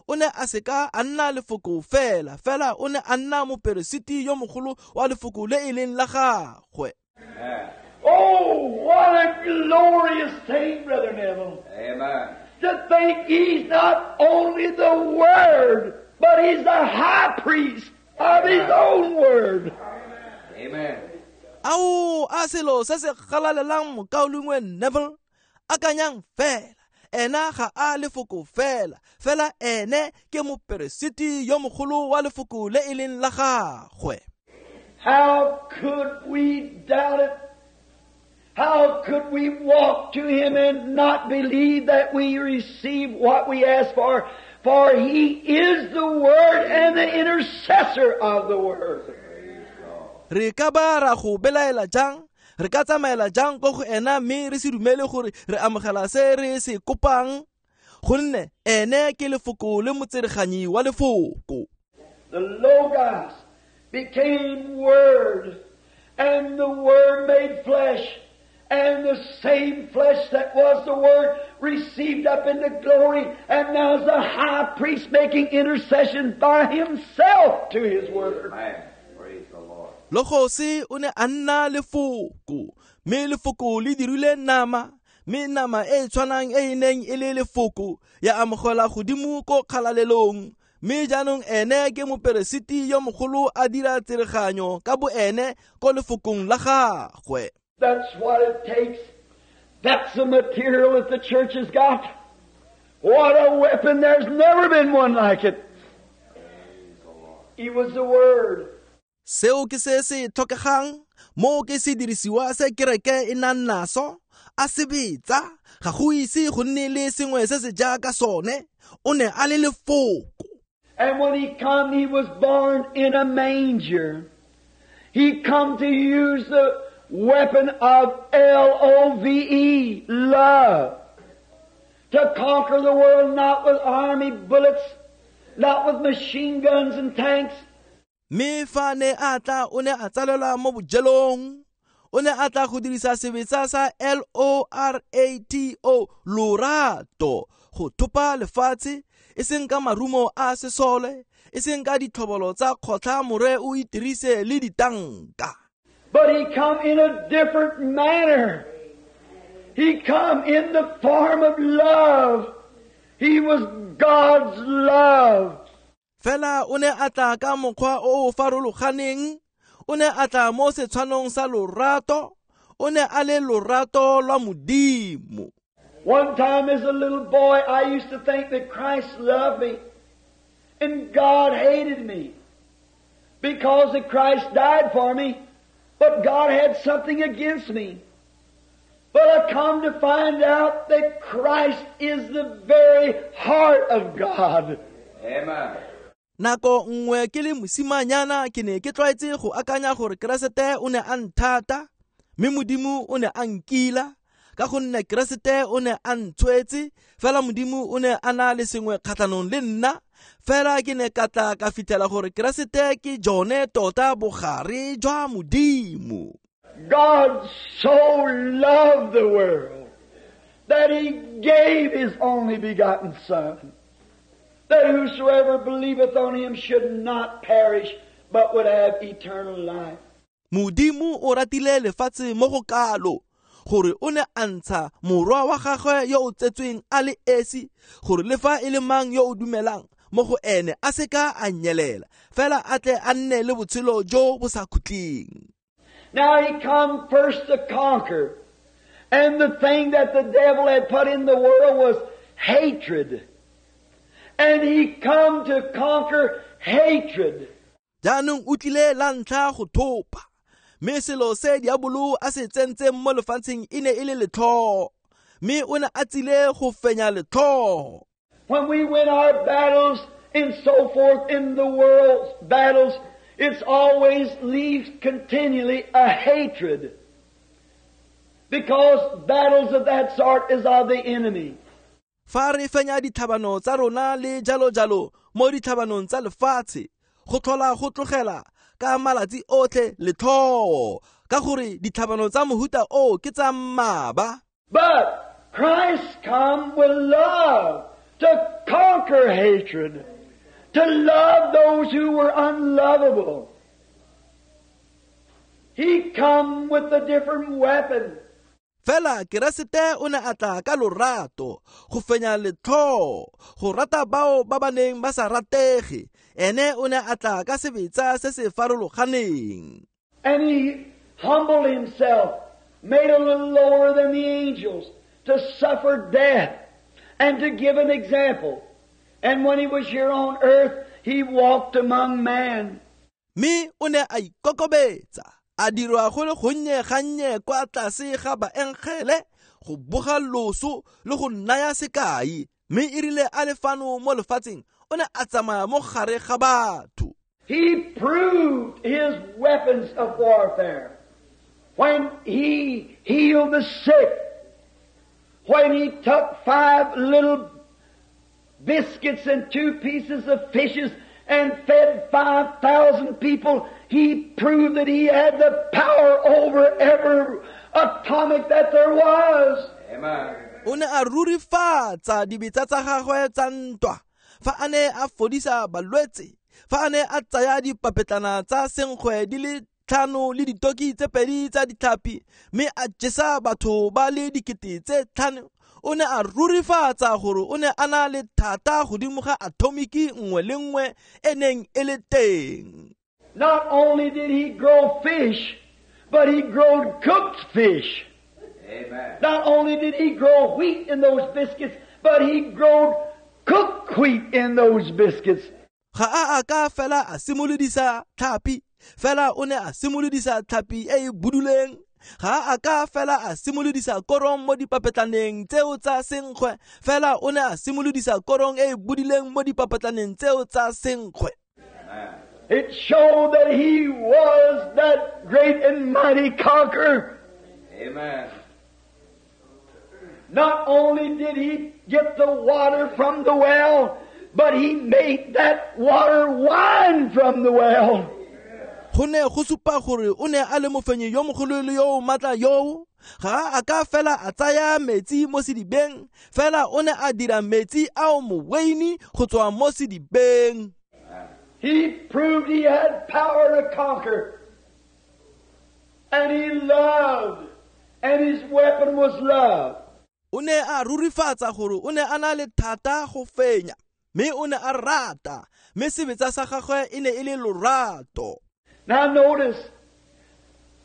o ne a seka a nna lefoko fela, fela o ne a nna moperesiti yo mogolo wa lefoko le e leng la gagwe. Oh, what a glorious thing, Brother Neville. Amen. To think he's not only the Word, but he's the high priest of his own Word. Amen. Ao a selo se se galalelang mokaulengwe Neville, akanyang fela, ena ga a lefoko fela, fela ene ke moperesiti yo mogolo wa lefoko le e leng la gagwe. How could we doubt it? How could we walk to him and not believe that we receive what we ask for? For he is the Word and the intercessor of the Word. Re ka ba ra go belaela jang? Re ka tsamaela jang ko go ena mme re se dumele gore re amogela se re se kopang? Gonne ene ke lefoko le motsereganyi wa lefoko. The Logos became Word, and the Word made flesh. And the same flesh that was the Word received up into glory, and now is the high priest making intercession by himself to his Word. Amen. Praise the Lord. Logose o ne a nna lefoko, mme lefoko le dirile nama, mme nama e tshwanang e e neng e le lefoko ya amogela godimo ko kgalalelong. Mme jaanong ene ke moperesiti yo mogolo a dira tsereganyo ka bo ene ko lefokong la gagwe. That's what it takes. That's the material that the church has got. What a weapon. There's never been one like it. He was the Word. Seo ke se se tlhokegang, mo ke se dirisiwa se kereke e nang naso, a sebetsa, ga go ise go nne le sengwe se se jaaka sone, o ne a le lefoko. And when he come, he was born in a manger. He come to use the weapon of L O V E, love, to conquer the world, not with army bullets, not with machine guns and tanks. Mme fa ne a tla o ne a tsalelwa mo bojelong, o ne a tla go dirisa sebetsa sa L O R A T O, lorato, go thopa lefatshe, e seng ka marumo a sesole, e seng ka ditlhobolo tsa kgotlha more o itirise le ditanka. But he come in a different manner. He come in the form of love. He was God's love. Fela o ne a tla ka mokgwa o o farologaneng, o ne a tla mo setshwanong sa lorato, o ne a le lorato lwa Modimo. One time as a little boy, I used to think that Christ loved me and God hated me because that Christ died for me, but God had something against me. But I come to find out that Christ is the very heart of God. Amen. Nako nngwe ke le mosimanyana ke ne ke tlwaetse go akanya gore Keresete o ne a nthata, mme Modimo o ne a nkila, ka gonne Keresete o ne a ntshwetse, fela Modimo o ne a na le sengwe kgatlhanong le nna, fela ke ne ka tla ka fitlhela gore Keresete ke jone tota bogare jwa Modimo. God so loved the world that he gave his only begotten Son, that whosoever believeth on him should not perish, but would have eternal life. Modimo o ratile lefatshe mo go kalo gore o ne a ntsha morwa wa gagwe yo o tsetsweng a le esi gore le fa e le mang yo o dumelang mo go ene a seka a nyelela fela a tle a nne le botshelo jo bo sa khutleng. Now he come first to conquer. And the thing that the devil had put in the world was hatred. And he come to conquer hatred. Jaanong o tlile la ntlha go thopa. Mme selo se diabolo a se tsentseng mo lefatsheng e ne e le letlhoo. Mme o ne a tsile go fenya letlhoo. When we win our battles and so forth in the world's battles, it's always leaves continually a hatred. Because battles of that sort is of the enemy. Fa re fenya ditlhabano tsa rona le jalo jalo mo ditlhabanong tsa lefatshe, go tlhola go tlogela ka malatsi otlhe letlhoo, ka gore ditlhabano tsa mohuta o ke tsa mmaba. But Christ come with love to conquer hatred, to love those who were unlovable. He come with a different weapon. Fela Keresete o ne a tla ka lorato go fenya letlhoo, go rata bao ba ba neng ba sa ratege. Ene o ne a tla ka sebetsa se se farologaneng. And he humbled himself, made a little lower than the angels, to suffer death and to give an example. And when he was here on earth, he walked among man. Mme o ne a ikokobetsa, a dirwa go le gonnye gannye kwa tlase ga baengele, go boga loso le go naya sekai. Mme e rile a le fano mo lefatsheng, o ne a tsamaya mo gare ga batho. He proved his weapons of warfare when he healed the sick, when he took five little biscuits and two pieces of fishes and fed five thousand people. He proved that he had the power over every atomic that there was. Amen. O ne a rurifatsa dibetsa tsa gagwe tsa ntwa fa a ne a fodisa balwetse, fa a ne a tsaya dipapetlana tsa senkgwe di le tlhano le ditoki tse pedi tsa ditlhapi mme a jesa batho ba le dikete tse tlhano. O ne a rurifatsa gore o ne a na le thata godimo ga atomiki nngwe le nngwe e neng e le teng. Not only did he grow fish, but he growed cooked fish. Amen. Not only did he grow wheat in those biscuits, but he growed cooked wheat in those biscuits. Ga a a ka fela a simolodisa tlhapi, fela o ne a simolodisa tlhapi e e buduleng. Ga a ka fela a simolodisa korong mo dipapetlaneng tseo tsa senkgwe, fela o ne a simolodisa korong e e budileng mo dipapetlaneng tseo tsa senkgwe. It showed that he was that great and mighty conqueror. Amen. Not only did he get the water from the well, but he made that water wine from the well. Go ne go supa gore o ne a le mofenyi yo mogolo le yo o maatla yo. Ga a ka fela a tsaya metsi mo sedibeng, fela o ne a dira metsi ao moweini go tswa mo sedibeng. He proved he had power to conquer. And he loved, and his weapon was love. O ne a rurifatsa gore o ne a na le thata go fenya, mme o ne a rata, mme sebetsa sa gagwe e ne e le lorato. Now notice,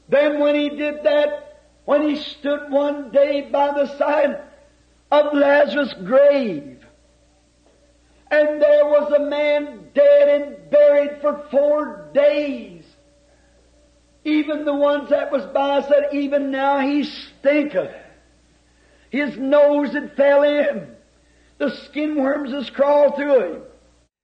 then when he did that, when he stood one day by the side of Lazarus' grave, and there was a man dead and buried for four days. Even the ones that was by said, even now he stinketh. His nose had fell in. The skin worms has crawled through him.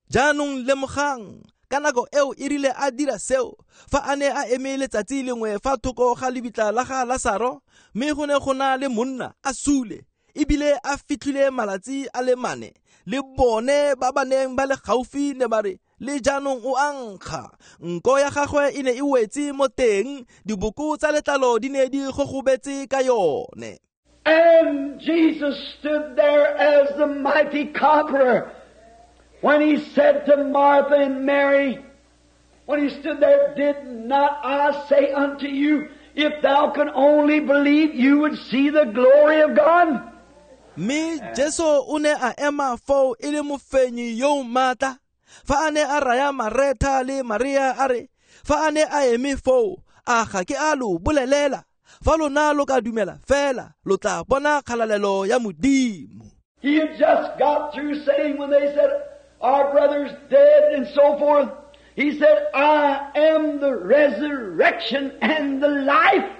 Jaanong lemogang, ka nako eo e rile a dira seo, fa a ne a eme letsatsi lengwe fa thoko ga lebitla la ga Lasaro, mme go ne go na le monna a sule, ebile a fitlhile malatsi a le mane. Le bone ba ba neng ba le gaufi ne ba re, le jaanong o a nkga. Nko ya gagwe e ne e wetse mo teng, diboko tsa letlalo di ne di gogobetse ka yone. And Jesus stood there as the mighty conqueror when he said to Martha and Mary, When he stood there, did not I say unto you, if thou could only believe, you would see the glory of God? Mme Jesu o ne a ema foo e le mofenyi yo o maatla. Fa a ne a raya Maretha le Maria a re, fa a ne a eme foo, a ga ke a lo bolelela, fa lona lo ka dumela fela, lo tla bona kgalalelo ya Modimo. He had just got through saying when they said, our brother's dead and so forth, he said, I am the resurrection and the life.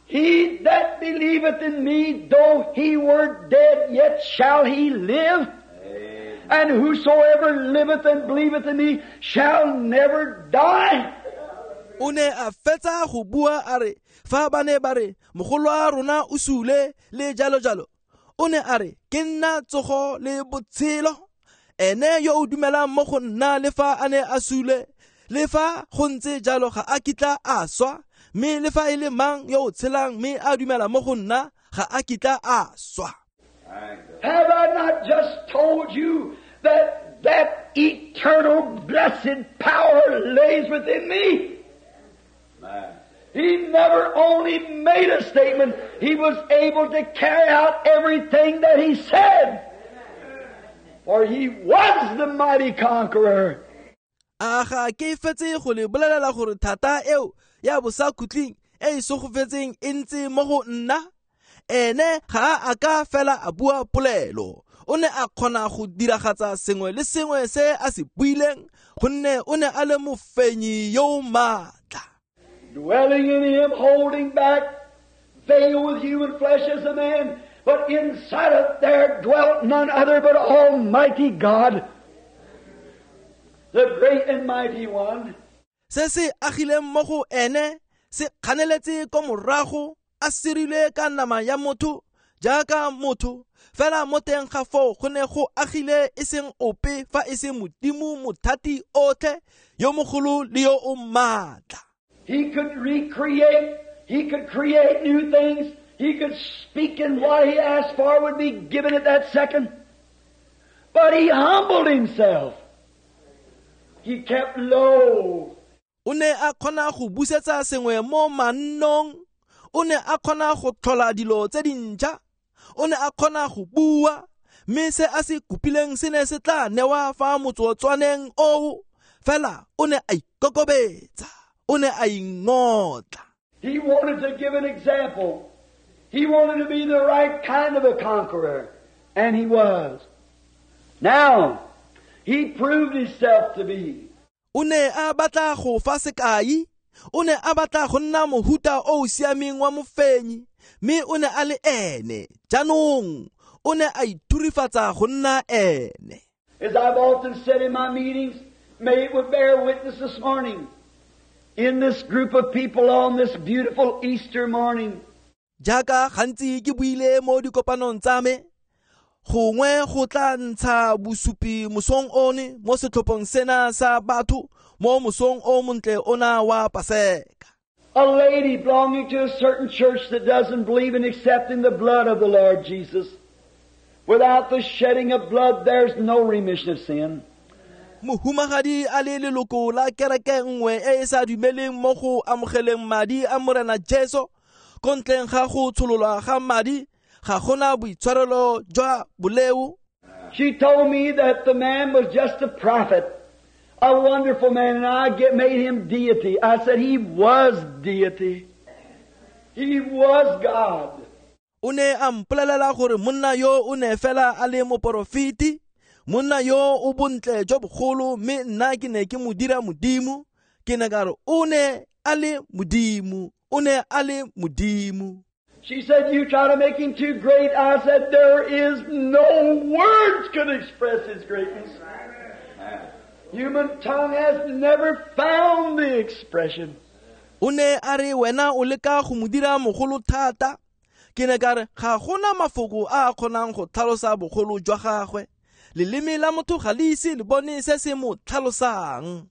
He that believeth in me, though he were dead, yet shall he live. Amen. And whosoever liveth and believeth in me shall never die. O ne a fetsa go bua a re, fa ba ne ba re, mogolo wa rona o sule le jalo jalo. O ne a re, ke nna tsogo le botshelo. Ene yo o dumelang mo go nna le fa a ne a sule, le fa go ntse jalo ga a kitla a swa, mme le fa e le mang yo o tshelang mme a dumela mo go nna ga a kitla a swa. Have I not just told you that that eternal blessed power lays within me? Amen. He never only made a statement, he was able to carry out everything that he said. For he was the mighty conqueror. A ga ke fetse go le bolelela gore thata eo ya bosakhutleng e e sogofetseng e ntse mo go nna? Ene ga a ka fela a bua polelo. O ne a kgona go diragatsa sengwe le sengwe se a se buileng, gonne o ne a le mofenyi yo o maatla. Dwelling in him, holding back, veiled with human flesh as a man, but inside of there dwelt none other but Almighty God, the great and mighty one. Se se agileng mo go ene se kganeletse ko morago, a sirile ka nama ya motho jaaka motho, fela mo teng ga foo go ne go agile e seng ope fa e se Modimo mothati otlhe yo mogolo le yo o maatla. He could recreate, he could create new things, he could speak, and what he asked for would be given at that second. But he humbled himself. He kept low. O ne a kgona go busetsa sengwe mo mannong, o ne a kgona go tlhola dilo tse dintšha, o ne a kgona go bua, mme se a se kopileng se ne se tla newa fa motsotswaneng oo, fela o ne a ikokobetsa, o ne a ingotla. He wanted to give an example. He wanted to be the right kind of a conqueror, and he was. Now, he proved himself to be. O ne a batla go fa sekai, o ne a batla go nna mohuta o o siameng wa mofenyi, mme o ne a le ene. Jaanong o ne a ithurifatsa go nna ene. As I've often said in my meetings, may it would bear witness this morning, in this group of people on this beautiful Easter morning. Jaaka gantsi ke buile mo dikopanong tsa me, gongwe go tla ntsha bosupi mosong one mo setlhopheng sena sa batho mo mosong o montle ona wa Paseka. A lady belonging to a certain church that doesn't believe in accepting the blood of the Lord Jesus. Without the shedding of blood, there's no remission of sin. Mohumagadi a le leloko la kereke nngwe e e sa dumeleng mo go amogeleng madi a Morena Jesu, ko ntleng ga go tshololwa ga madi, ga gona boitshwarelo jwa boleo. She told me that the man was just a prophet, a wonderful man, and I get, made him deity. I said he was deity. He was God. O ne a mpolelela gore monna yo o ne fela a le moporofeti, monna yo o bontle jo bogolo, mme nna ke ne ke mo dira Modimo. Ke ne ka re o ne a le Modimo, o ne a le Modimo. She said, you try to make him too great. I said, there is no words could express his greatness. Human tongue has never found the expression. O ne a re wena o leka go mo dira mogolo thata. Ke ne ka re ga gona mafoko a a kgonang go tlhalosa bogolo jwa gagwe. Leleme la motho ga le ise le bone se se mo tlhalosang.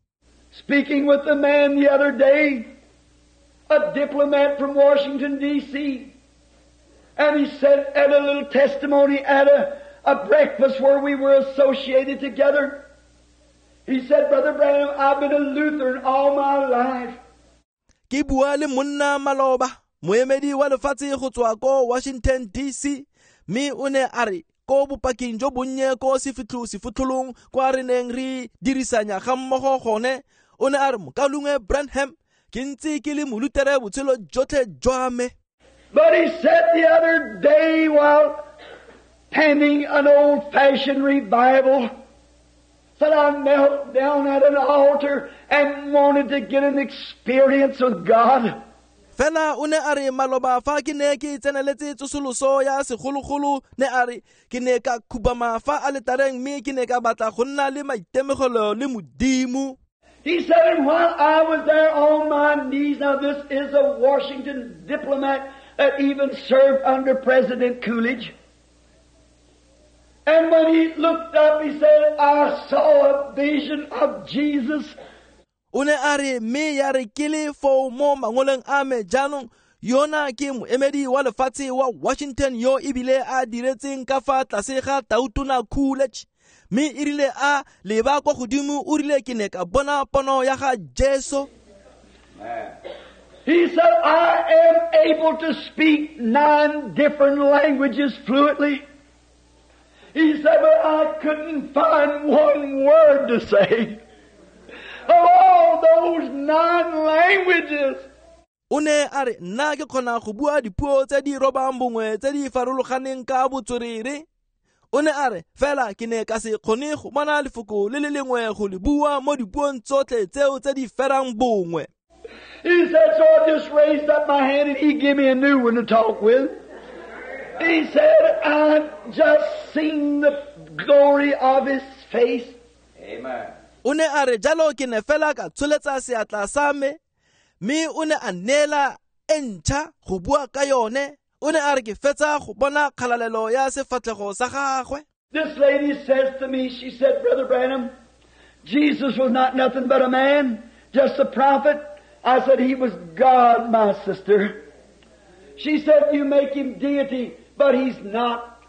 Speaking with the man the other day, a diplomat from Washington, D C, and he said at a little testimony at a, a breakfast where we were associated together, He said, Brother Branham, I've been a Lutheran all my life. Ke bua le monna maloba, moemedi wa lefatshe go tswa ko Washington D C, mme o ne a re ko bopaking jo bonnye ko sefitlho sefotlholong kwa re neng re dirisanya ga mmogo gone, o ne a re mokaulengwe Branham, ke ntse ke le molutere botshelo jotlhe jwa me. But he said the other day while tending an old-fashioned revival, said I knelt down at an altar and wanted to get an experience with God. Fela o ne a re maloba fa ke ne ke tseneletse tsosoloso ya segologolo, ne a re ke ne ka khubama fa aletareng mme ke ne ka batla go nna le maitemogelo le Modimo. He said, and while I was there on my knees, now this is a Washington diplomat that even served under President Coolidge. And when he looked up, he said, I saw a vision of Jesus. O ne a re mme ya re ke le foo mo mangoleng a me jaanong yona ke moemedi wa lefatshe wa Washington yo ebile a diretseng ka fa tlase ga Tautona Coolidge, mme e rile a leba kwa godimo o rile ke ne ka bona pono ya ga Jesu. He said, I am able to speak nine different languages fluently. He said, but I couldn't find one word to say. Of all those nine languages. O ne a re nna ke kgona go bua dipuo tse di robang bongwe tse di farologaneng ka botswerere. O ne a re fela ke ne ka se kgone go bona lefoko le le lengwe go le bua mo dipuong tsotlhe tseo tse di ferang bongwe. He said, so I just raised up my hand and he gave me a new one to talk with. He said, I've just seen the glory of his face. Amen. O ne a re jalo ke ne fela ka tsholetsa seatla sa me, mme o ne a neela e ntšha go bua ka yone. O ne a re ke fetsa go bona kgalalelo ya sefatlhego sa gagwe. This lady says to me, she said, Brother Branham, Jesus was not nothing but a man, just a prophet. I said, he was God, my sister. She said, you make him deity, but he's not.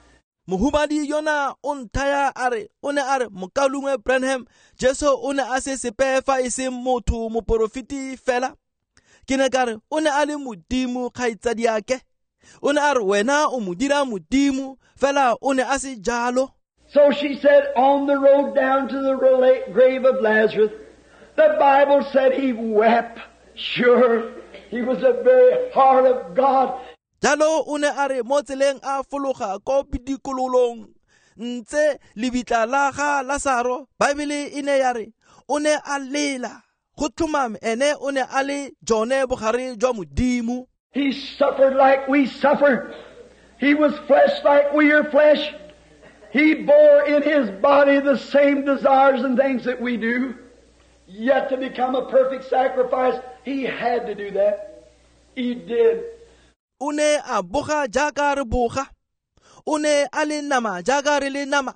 Mohumadi yona o nthaya a re o ne a re mokaulengwe Branham, Jesu o ne a se sepe fa e se motho moporofeti fela. Ke ne ka re o ne a le Modimo kgaitsadiake. O ne a re wena o mo dira Modimo fela o ne a se jalo. So she said, on the road down to the grave of Lazarus, the Bible said he wept. Sure, he was the very heart of God. Jalo o ne a re mo tseleng a fologa ko pidikololong ntse lebitla la ga Lazaro, Bible e ne ya re o ne a lela go tlhomame ene o ne a le jone bogare jwa Modimo. He suffered like we suffer. He was flesh like we are flesh. He bore in his body the same desires and things that we do. Yet to become a perfect sacrifice, he had to do that. He did. O ne a boga jaaka re boga. O ne a le nama jaaka re le nama.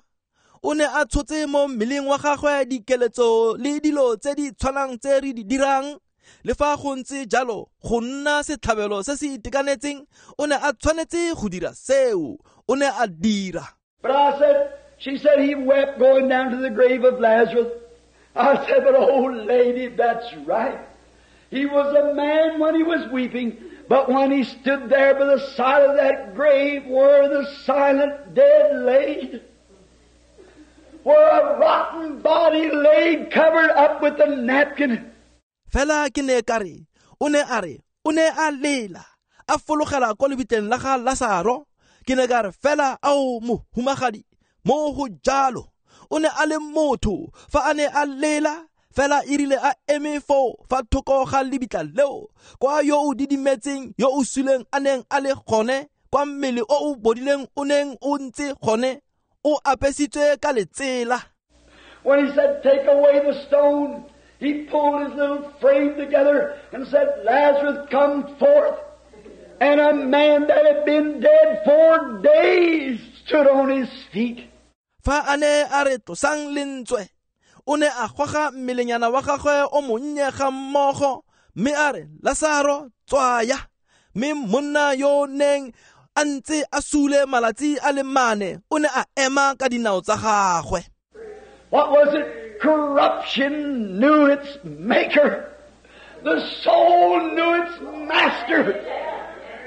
O ne a tshotse mo mmeleng wa gagwe dikeletso le dilo tse di tshwanang tse re di dirang. Le fa go ntse jalo, go nna setlhabelo se se itekanetseng, o ne a tshwanetse go dira seo. O ne a dira. But I said, she said he wept going down to the grave of Lazarus. I said, but old lady, that's right. He was a man when he was weeping, but when he stood there by the side of that grave where the silent dead laid, where a rotten body laid covered up with a napkin. Fela ke ne ka re, o ne a re, o ne a lela, a fologela ko lebitleng la ga Lazaro. Ke ne ka re fela ao mohumagadi, mo go jalo. O ne a le motho fa a ne a lela, fela e rile a eme foo fa thoko ga lebitla leo, kwa yo o didimetseng yo o suleng a neng a le gone, kwa mmele o o bodileng o neng o ntse gone, o apesitswe ka letsela. When he said, take away the stone, he pulled his little frame together and said, Lazarus, come forth. And a man that had been dead four days stood on his feet. Fa a ne a re tlosang lentswe, o ne a goga mmelenyana wa gagwe o monnye ga mmogo, mme a re, Lazaro, tswaya. Mme monna yo neng a ntse a sule malatsi a le mane, o ne a ema ka dinao tsa gagwe. What was it? Corruption knew its maker. The soul knew its master.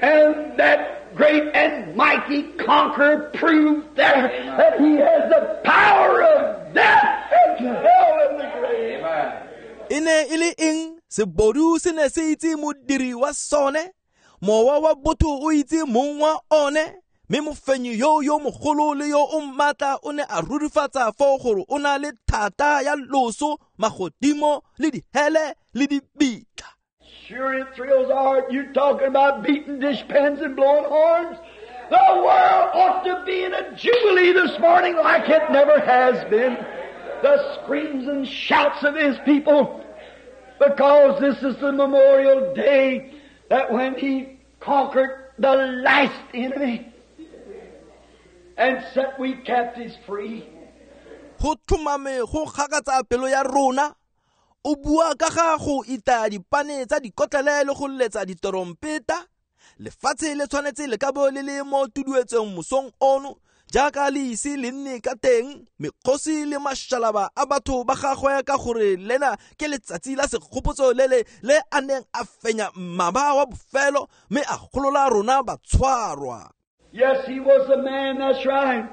And that great and mighty conqueror proved there that he has the power of death and hell and the grave. E ne e le eng? Sebodu se ne se itse modiri wa sone, mowa wa botho o itse mong wa one, mme mofenyi yo yo mogolo le yo o maatla o ne a rurifatsa foo gore o na le thata ya loso, magodimo le dihele le dibitla. Sure, it thrills our heart. You talking about beating dishpans and blowing horns. The world ought to be in a jubilee this morning like it never has been. The screams and shouts of His people, because this is the memorial day that when He conquered the last enemy and set we captives free. Go tlhomame go gakatsa pelo ya rona. O bua ka ga go itaya dipane tsa dikotlele le go letsa ditorompeta. Lefatshe le tshwanetse le ka bo le le mo tuduetsong mosong ono jaaka le ise le nne ka teng, mekgosi le mašalaba a batho ba gagwe, ka gore lena ke letsatsi la segopotso le le le a neng a fenya mmaba wa bofelo mme a golola rona batshwarwa. Yes, He was a man, that's right.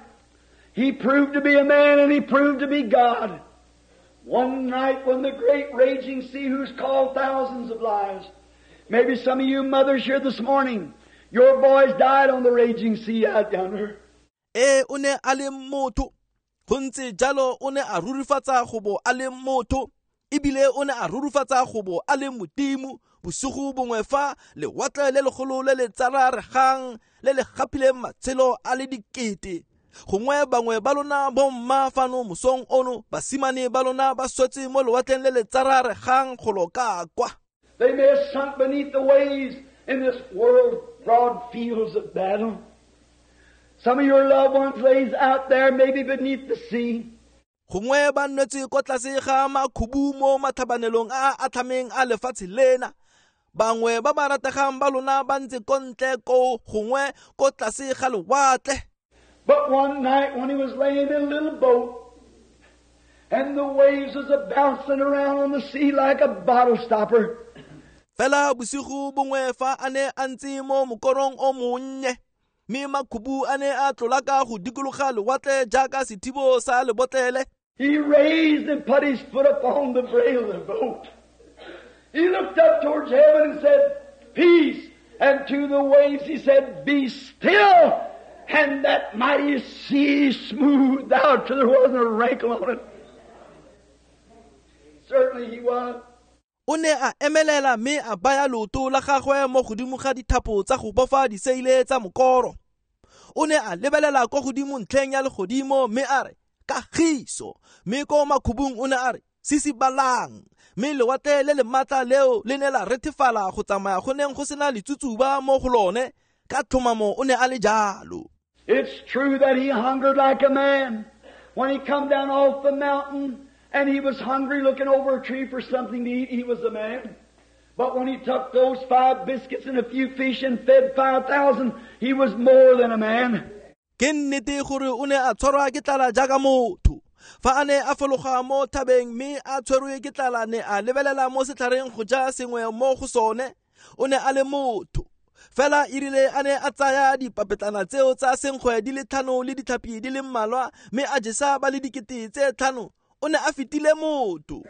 He proved to be a man and He proved to be God. One night when the great raging sea, who's called thousands of lives. Maybe some of you mothers here this morning, your boys died on the raging sea out yonder. Ee, o ne a le motho, go ntse jalo. O ne a rurifatsa go bo a le motho ebile o ne a rurifatsa go bo a le Modimo. Bosigo bongwe fa lewatle le legolo le le tsararegang le le gapileng matshelo a le dikete, gongwe bangwe ba lona bomma fano mosong ono, basimane ba lona ba swetse mo lewatleng le le tsararegang golo ka kwa. They may have sunk beneath the waves in this world's broad fields of battle. Some of your loved ones lays out there maybe beneath the sea. Gongwe ba nwetse ko tlase ga makhubu mo matlhabanelong a a atlhameng a lefatshe lena. Bangwe ba ba rategang ba lona ba ntse ko ntle ko gongwe ko tlase ga lewatle. But one night when he was laying in a little boat, and the waves was a bouncing around on the sea like a bottle stopper, Fela bosigo bongwe fa a ne a ntse mo mokorong o monnye mme makhubu a ne a tlolaka go dikologa lewatle jaaka sethibo sa lebotlele, he raised and put his foot upon the brail of the boat. He looked up towards heaven and said, "Peace." And to the waves he said, "Be still." And that mighty sea smoothed out till there wasn't a wrinkle on it. Certainly he was. O ne a emelela mme a baya leoto la gagwe mo godimo ga dithapo tsa go bofa diseile tsa mokoro. O ne a lebelela kwa godimo ntlheng ya legodimo mme a re, "Kagiso," mme ko makhubung o ne a re, "Sisibalang," mme lewatle le le maatla leo le ne la rethefala go tsamaya go neng go sena letsutsuba mo go lone. Ka tlhomamo o ne a le jalo. It's true that he hungered like a man. When he come down off the mountain and he was hungry, looking over a tree for something to eat, he was a man. But when he took those five biscuits and a few fish and fed five thousand, he was more than a man. Ke nnete gore o ne a tshwarwa ke tlala jaaka motho. Fa a ne a fologa mo thabeng mme a tshwerwe ke tlala, ne a lebelela mo setlhareng go ja sengwe mo go sone, o ne a le motho. Fela erile a ne a tsaya dipapetlana tseo tsa senkgwe di le tlhano le ditlhapi di le mmalwa mme a jesa ba le dikete tse tlhano, o ne a fetile motho.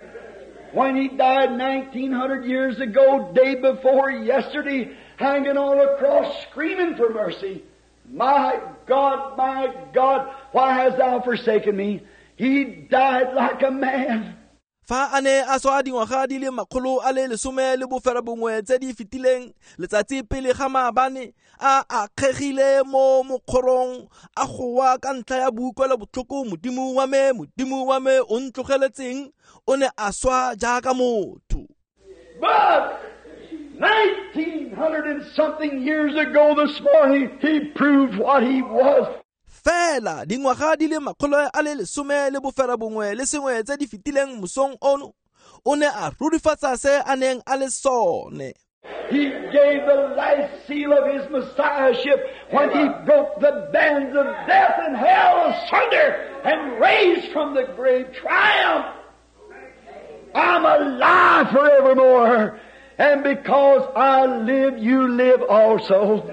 When he died nineteen hundred years ago, day before yesterday, hanging on a cross, screaming for mercy, "My God, my God, why hast thou forsaken me?" He died like a man. Fa a ne a swa dingwaga di le makgolo a le lesome le bofera bongwe tse di fetileng letsatsi pele ga maabane, a akgegile mo mokgorong a goa ka ntlha ya boutlwelo botlhoko, "Modimo wa me, Modimo wa me, o ntlogeletseng?" O ne a swa jaaka motho. But nineteen hundred and something years ago this morning, he proved what he was. Fela dingwaga di le makgolo a le lesome le bofera bongwe le sengwe tse di fetileng mosong ono, o ne a rurifatsa se a neng a le sone. He gave the last seal of His Messiahship when He broke the bands of death and hell asunder and raised from the grave triumph. I'm alive forevermore, and because I live, you live also.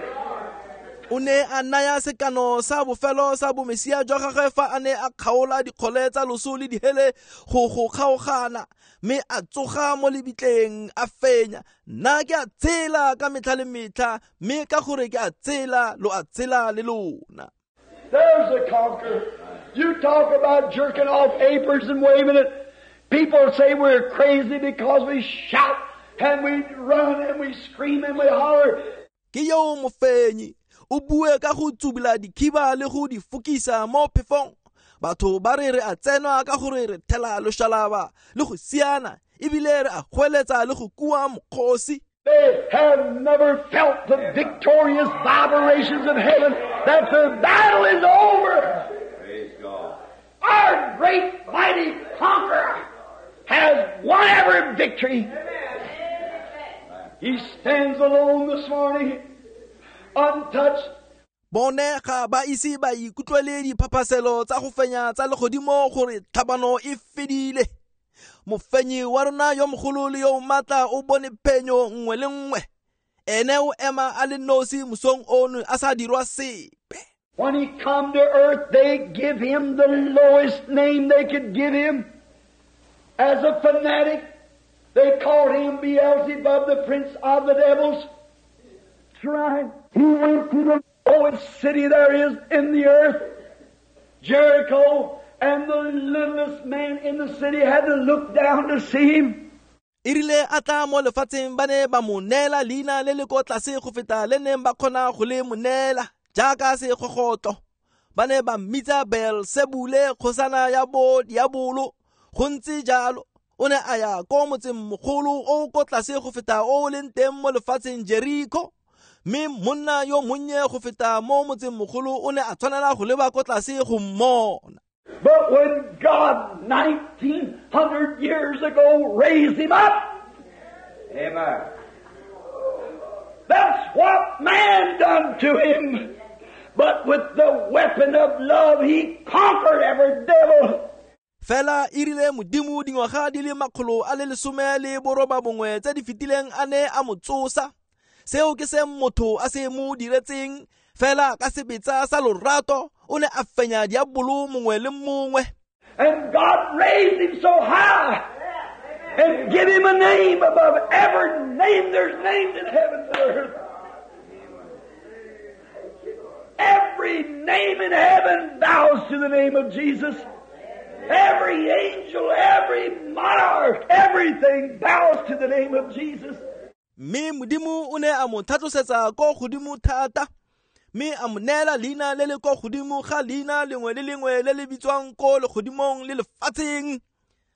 O ne a naya sekano sa bofelo sa bomesia jwa gagwe fa a ne a kgaola dikgole tsa loso le dihele go go kgaogana, mme a tsoga mo lebitleng a fenya. Nna ke a tshela ka metlha le metlha, mme ka gore ke a tshela lo a tshela le lona. There's a conqueror. You talk about jerking off aprons and waving it. People say we're crazy because we shout and we run and we scream and we holler. Ke yo mofenyi. O bue ka go tsubula dikhiba le go di fokisa mo phefong. Batho ba re re a tsenwa ka gore re thela loshalaba le go siana, ebile re a goeletsa le go kua mokgosi. They have never felt the victorious vibrations of heaven that the battle is over. Praise God. Our great mighty conqueror has won every victory. He stands alone this morning, untouched. Bone ga ba ise ba ikutlwele diphaphaselo tsa go fenya tsa legodimo gore tlhabano e fedile. Mofenyi wa rona yo mogolo le yo matla o bone phenyo nngwe le nngwe. Ene o ema a le nosi mosong ono a sa dirwa sepe. When he come to earth, they give him the lowest name they could give him. As a fanatic, they called him Beelzebub, the prince of the devils. That's right. He went to the lowest city there is in the earth, Jericho, and the littlest man in the city had to look down to see him. E rile a tla mo lefatsheng ba ne ba mo neela leina le le ko tlase go feta le neng ba kgona go le mo neela jaaka segogotlo. Ba ne ba mmitsa Beelsebule, kgosana ya bo diabolo. Go ntse jalo, o ne a ya ko motseng mogolo o ko tlase go feta o leng teng mo lefatsheng Jericho. Mme monna yo monnye go feta mo motseng mogolo o ne a tshwanela go leba ko tlase go mmona. But when God nineteen hundred years ago raised him up, amen, that's what man done to him. But with the weapon of love, he conquered every devil. Fela e rile Modimo dingwaga di le makgolo a le lesome le boroba bongwe tse di fetileng a ne a mo tsosa. Seo ke se motho a se mo diretseng, fela ka sebetsa sa lorato o ne a fenya diabolo mongwe le mongwe. And God raised him so high and give him a name above every name there's named in heaven and earth. Every name in heaven bows to the name of Jesus. Every angel, every monarch, everything bows to the name of Jesus. Mme Modimo o ne a mo tlhatlosetsa ko godimo thata, mme a mo neela leina le le ko godimo ga leina lengwe le lengwe le le bitswang ko legodimong le lefatsheng.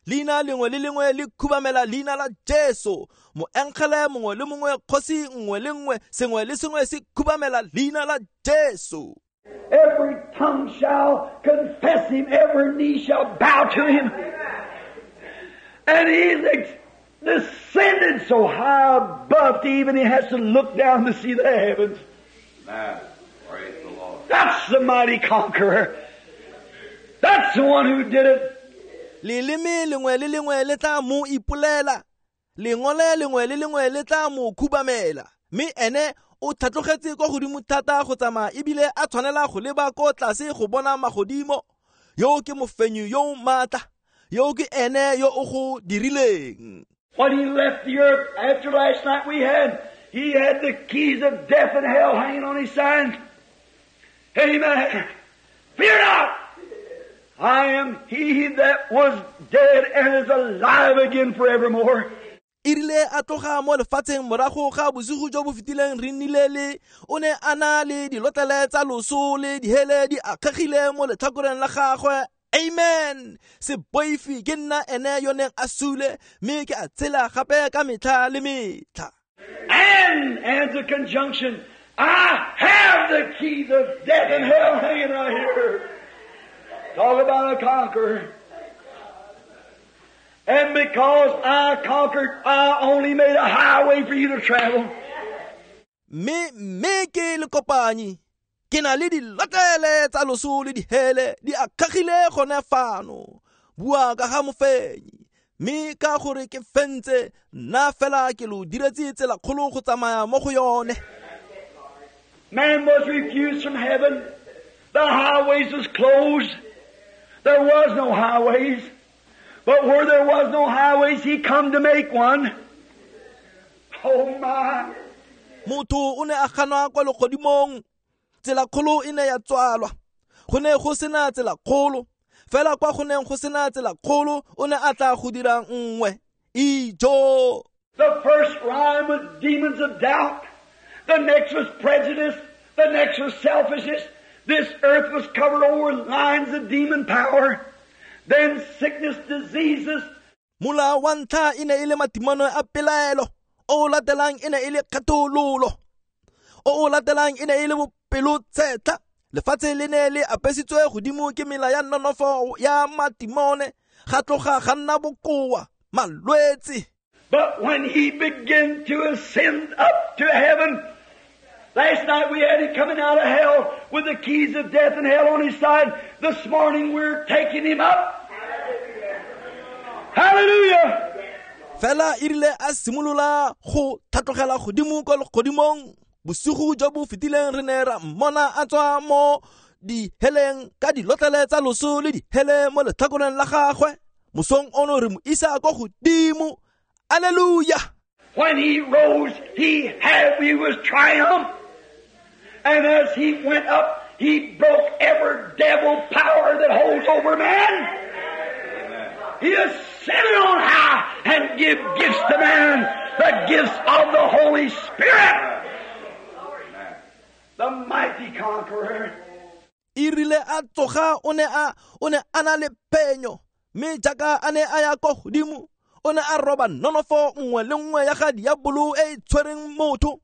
Leina lengwe le lengwe le khubamela leina la Jesu. Moengele mongwe le mongwe, kgosi nngwe le nngwe, sengwe le sengwe se khubamela leina la Jesu. Every tongue shall confess him, every knee shall bow to him. And he's ex- descended so high above to even he has to look down to see the heavens. Amen. Praise the Lord. That's the mighty conqueror. That's the one who did it. Leleme lengwe le lengwe le tla mo ipolela, lengole lengwe le lengwe le tla mo khubamela. Mme ene o tlhatlogetse kwa godimo thata go tsamaya ebile a tshwanela go leba ko tlase go bona magodimo. Yo ke mofenyi yo o maatla, yo ke ene yo o go dirileng. When he left the earth after last night we had, he had the keys of death and hell hanging on his side. Amen. Fear not! I am he that was dead and is alive again forevermore. E rile a tloga mo lefatsheng morago ga bosigo jo bo fetileng re nnile le o ne a na le dilotlele tsa loso le dihele di akgegile mo letlhakoreng la gagwe. Amen. Se boife, ke nna ene yo neng a sule, mme ke a tshela gape ka metlha le metlha. And, and the conjunction, I have the keys of death and hell hanging right here. Talk about a conqueror. And because I conquered, I only made a highway for you to travel. Mme mme ke le kopanyi ke na le dilotlele tsa loso le dihele di akgagile gone fano. Bua ka ga mofenyi, mme ka gore ke fentse nna fela ke lo diretse tsela kgolo go tsamaya mo go yone. Man was refused from heaven. The highways was closed. There was no highways. But where there was no highways, he come to make one. Oh my. Motho o ne a ganwa kwa legodimong, tsela kgolo e ne ya tswalwa. Go ne go sena tsela kgolo, fela kwa go neng go sena tsela kgolo o ne a tla go dira nngwe. Ijo. The first rhyme was demons of doubt. The next was prejudice. The next was selfishness. This earth was covered over with lines of demon power. Then sickness, diseases. Mola wa ntlha e ne e le matimano a pelaelo. O latelang e ne e le kgethololo. O latelang e ne e le bopelotshetlha. Lefatshe le ne le apesitswe godimo ke mela ya nonofo ya matimone. Ga tloga ga nna bokoa, malwetse. But when he began to ascend up to heaven, last night we had him coming out of hell with the keys of death and hell on his side. This morning we're taking him up. Hallelujah! Fela e rile a simolola go tlhatlogela godimo kwa legodimong. Bosigo jo bo fetileng re ne ra mmona a tswa mo diheleng ka dilotlele tsa loso le dihele mo letlhakoreng la gagwe. Mosong ono re mo isa kwa godimo. Hallelujah! When he rose, he had, he was triumph. And as he went up, he broke every devil power that holds over man. He ascended on high and give gifts to man, the gifts of the Holy Spirit. The mighty conqueror. E rile a tsoga o ne a o ne a na le phenyo, mme jaaka a ne a ya kwa godimo o ne a roba nonofo nngwe le nngwe ya ga diabolo e e tshwereng motho.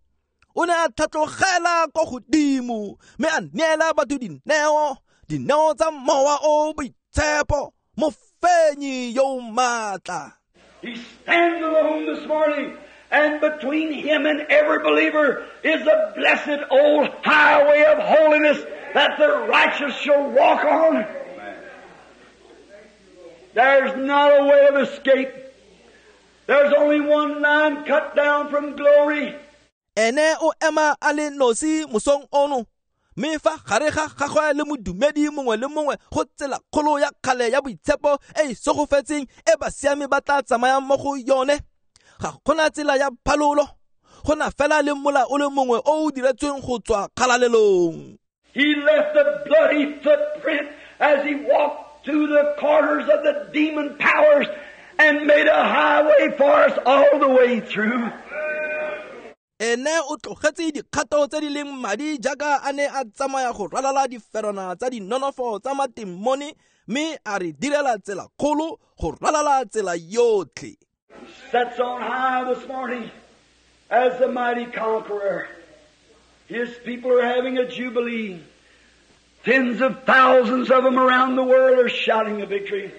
O ne a tlhatlogela kwa godimo mme a neela batho dineo, dineo tsa mowa o boitshepo, mofenyi yo o maatla. He stands alone this morning, and between him and every believer is the blessed old highway of holiness that the righteous shall walk on. There's not a way of escape. There's only one line cut down from glory. Ene o ema a le nosi mosong ono, mme fa gare ga gagwe le modumedi mongwe le mongwe go tsela kgolo ya kgale ya boitshepo e e segofetseng e basiami ba tla tsamayang mo go yone. Ga gona tsela ya phalolo, go na fela le mola o le mongwe o o diretsweng go tswa kgalalelong. He left the bloody footprint as he walked through the corners of the demon powers and made a highway for us all the way through. Ene o tlogetse dikgato tse di leng madi jaaka a ne a tsamaya go ralala diferwana tsa dinonofo tsa matimone, mme a re direla tsela kgolo go ralala tsela yotlhe. Sets on high this morning as the mighty conqueror. His people are having a jubilee. Tens of thousands of them around the world are shouting a victory.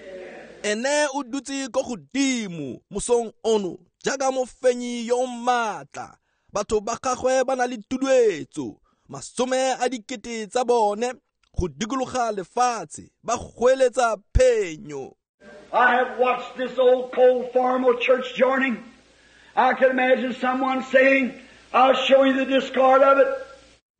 Ene o dutse ko godimo mosong ono jaaka mofenyi yo maatla. Batho ba gagwe ba na le tuduetso, masome a dikete tsa bone go dikologa lefatshe ba goeletsa phenyo. I have watched this old cold formal church joining. I can imagine someone saying, I'll show you the discard of it.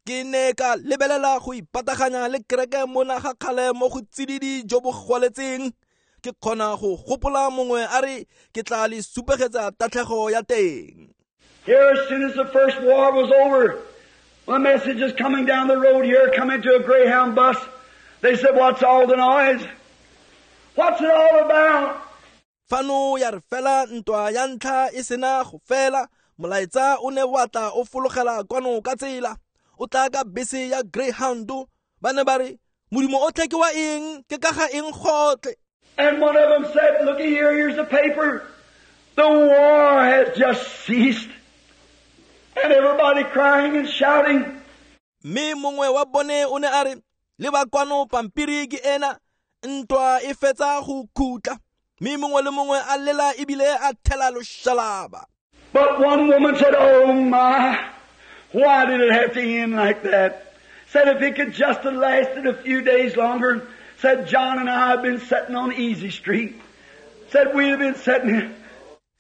Ke ne ka lebelela go ipataganya le kereke mona ga kgale mo go tsididi jo bo gwaletseng. Ke kgona go gopola mongwe a re ke tla le supegetsa tatlhego ya teng. Here, as soon as the first war was over, the message is coming down the road here, coming to a Greyhound bus. They said, what's all the noise? What's it all about? Fano ya re fela ntwa ya ntlha e sena go fela, molaetsa o ne wa tla o fologela kwano ka tsela. O tla ka bese ya Greyhound, ba ne ba re, Modimo o tle ke wa eng, ke ka ga eng gotlhe. And one of them said, looky here, here's the paper. The war has just ceased. And everybody crying and shouting. Mme mongwe wa bone o ne a re, leba kwano pampiri ke ena, ntwa e fetsa go khutla. Mme mongwe le mongwe a lela ebile a thela loshalaba. But one woman said, "Oh my, why did it have to end like that?" Said if it could just have lasted a few days longer. Said John and I have been sitting on Easy Street. Said we'd have been sitting here.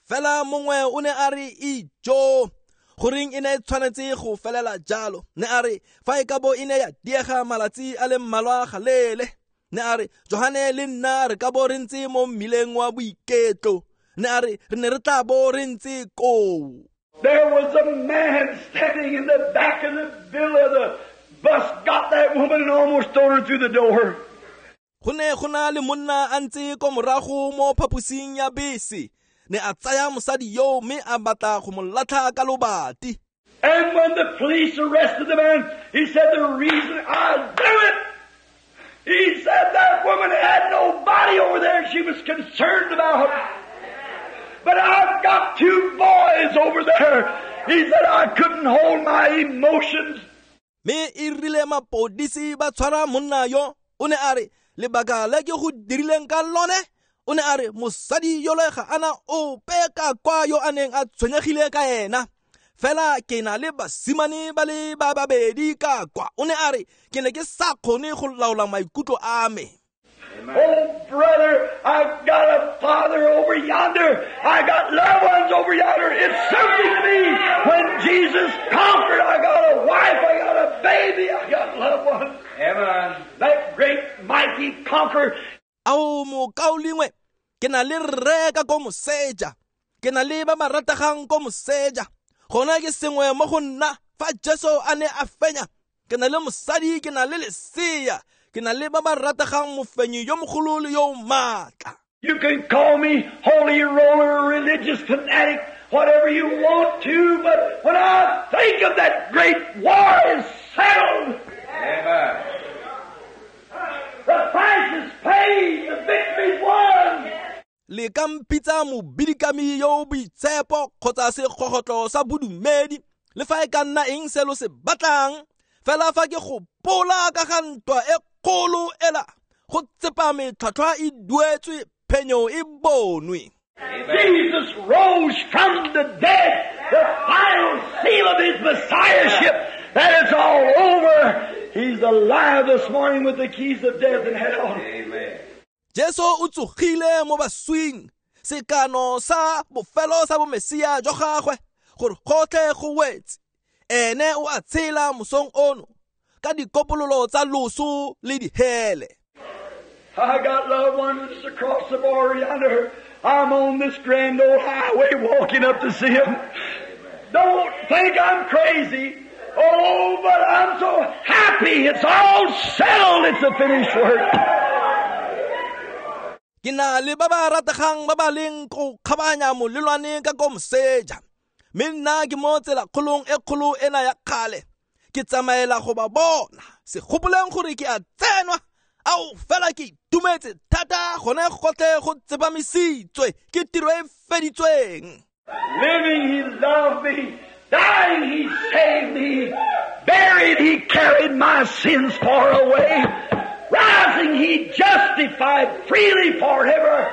Fela mongwe o ne a re ijo goreng e ne e tshwanetse go felela jalo. Ne a re fa e ka bo e ne ya diega malatsi a le mmalwa galele. Ne a re Johane le nna re ka bo re ntse mo mmileng wa boiketlo. Ne a re re ne re tla bo re ntse koo. There was a man standing in the back of the bill of the bus, got that woman and almost threw her through the door. Go ne go na le monna a ntse ko morago mo phaposing ya bese. Ne a tsaya mosadi yo mme a batla go mo latlha ka lobati. And when the police arrested the man, he said, "The reason I do it," he said, "that woman had nobody over there she was concerned about. But I've got two boys over there." He said, "I couldn't hold my emotions." Me e rile mapodisi ba tshwara monna yo, o ne a re lebaka le ke go dirileng ka lone, o ne a re mosadi yole ga ana ope ka kwa yo a neng a tshwenyegile ka ena. Fela ke na le basimane ba le ba babedi ka kwa. O ne a re ke ne ke sa kgone go laola maikutlo a me. Oh, brother, I've got a father over yonder. I got loved ones over yonder. It's something to me. When Jesus conquered, I got a wife, I got a baby, I got loved ones. Amen. That great mighty conqueror. Ao mokaulengwe, ke na le rre ka ko moseja. Ke na le ba ba rategang ko moseja. Gona ke sengwe mo go nna fa Jesu a ne a fenya. Ke na le mosadi, ke na le lesea. Ke na le ba ba rategang mofenyi yo mogolo le yo maatla. You can call me holy roller, religious fanatic, whatever you want to, but when I think of that great war is settled. Amen. The price is paid, the victory's won. Le ka mpitsa mobidikami yo boitshepo kgotsa segogotlo sa bodumedi, le fa e ka nna eng se lo se batlang, fela fa ke gopola ka ga ntwa e kgolo ela, go tsepame tlhwatlhwa e duetswe, phenyo e bonwe. Jesus rose from the dead, the final seal of his messiahship. That is all over. He's alive this morning with the keys of death and hell. Amen. Jesu o tsogile mo baswing, sekano sa bofelo sa bomesia jwa gagwe, gore gotlhe go wetse. Ene o a tshela mosong ono ka dikopololo tsa loso le dihele. I got loved ones across the border yonder. I'm on this grand old highway walking up to see them. Don't think I'm crazy. Oh, but I'm so happy. It's all settled. It's a finished work. Ke na le ba ba rategang ba ba leng go kgabanya molelwane ka ko moseja. Mme nna ke mo tsela kgolong e kgolo ena ya kgale. Ke tsamaela go ba bona. Se gopoleng gore ke a tsenwa. Ao fela ke itumetse thata gone gotlhe go tsepamisitswe ke tiro e feditsweng. Living, he loved me. Dying, he saved me. Buried, he carried my sins far away. Rising, he justified freely forever.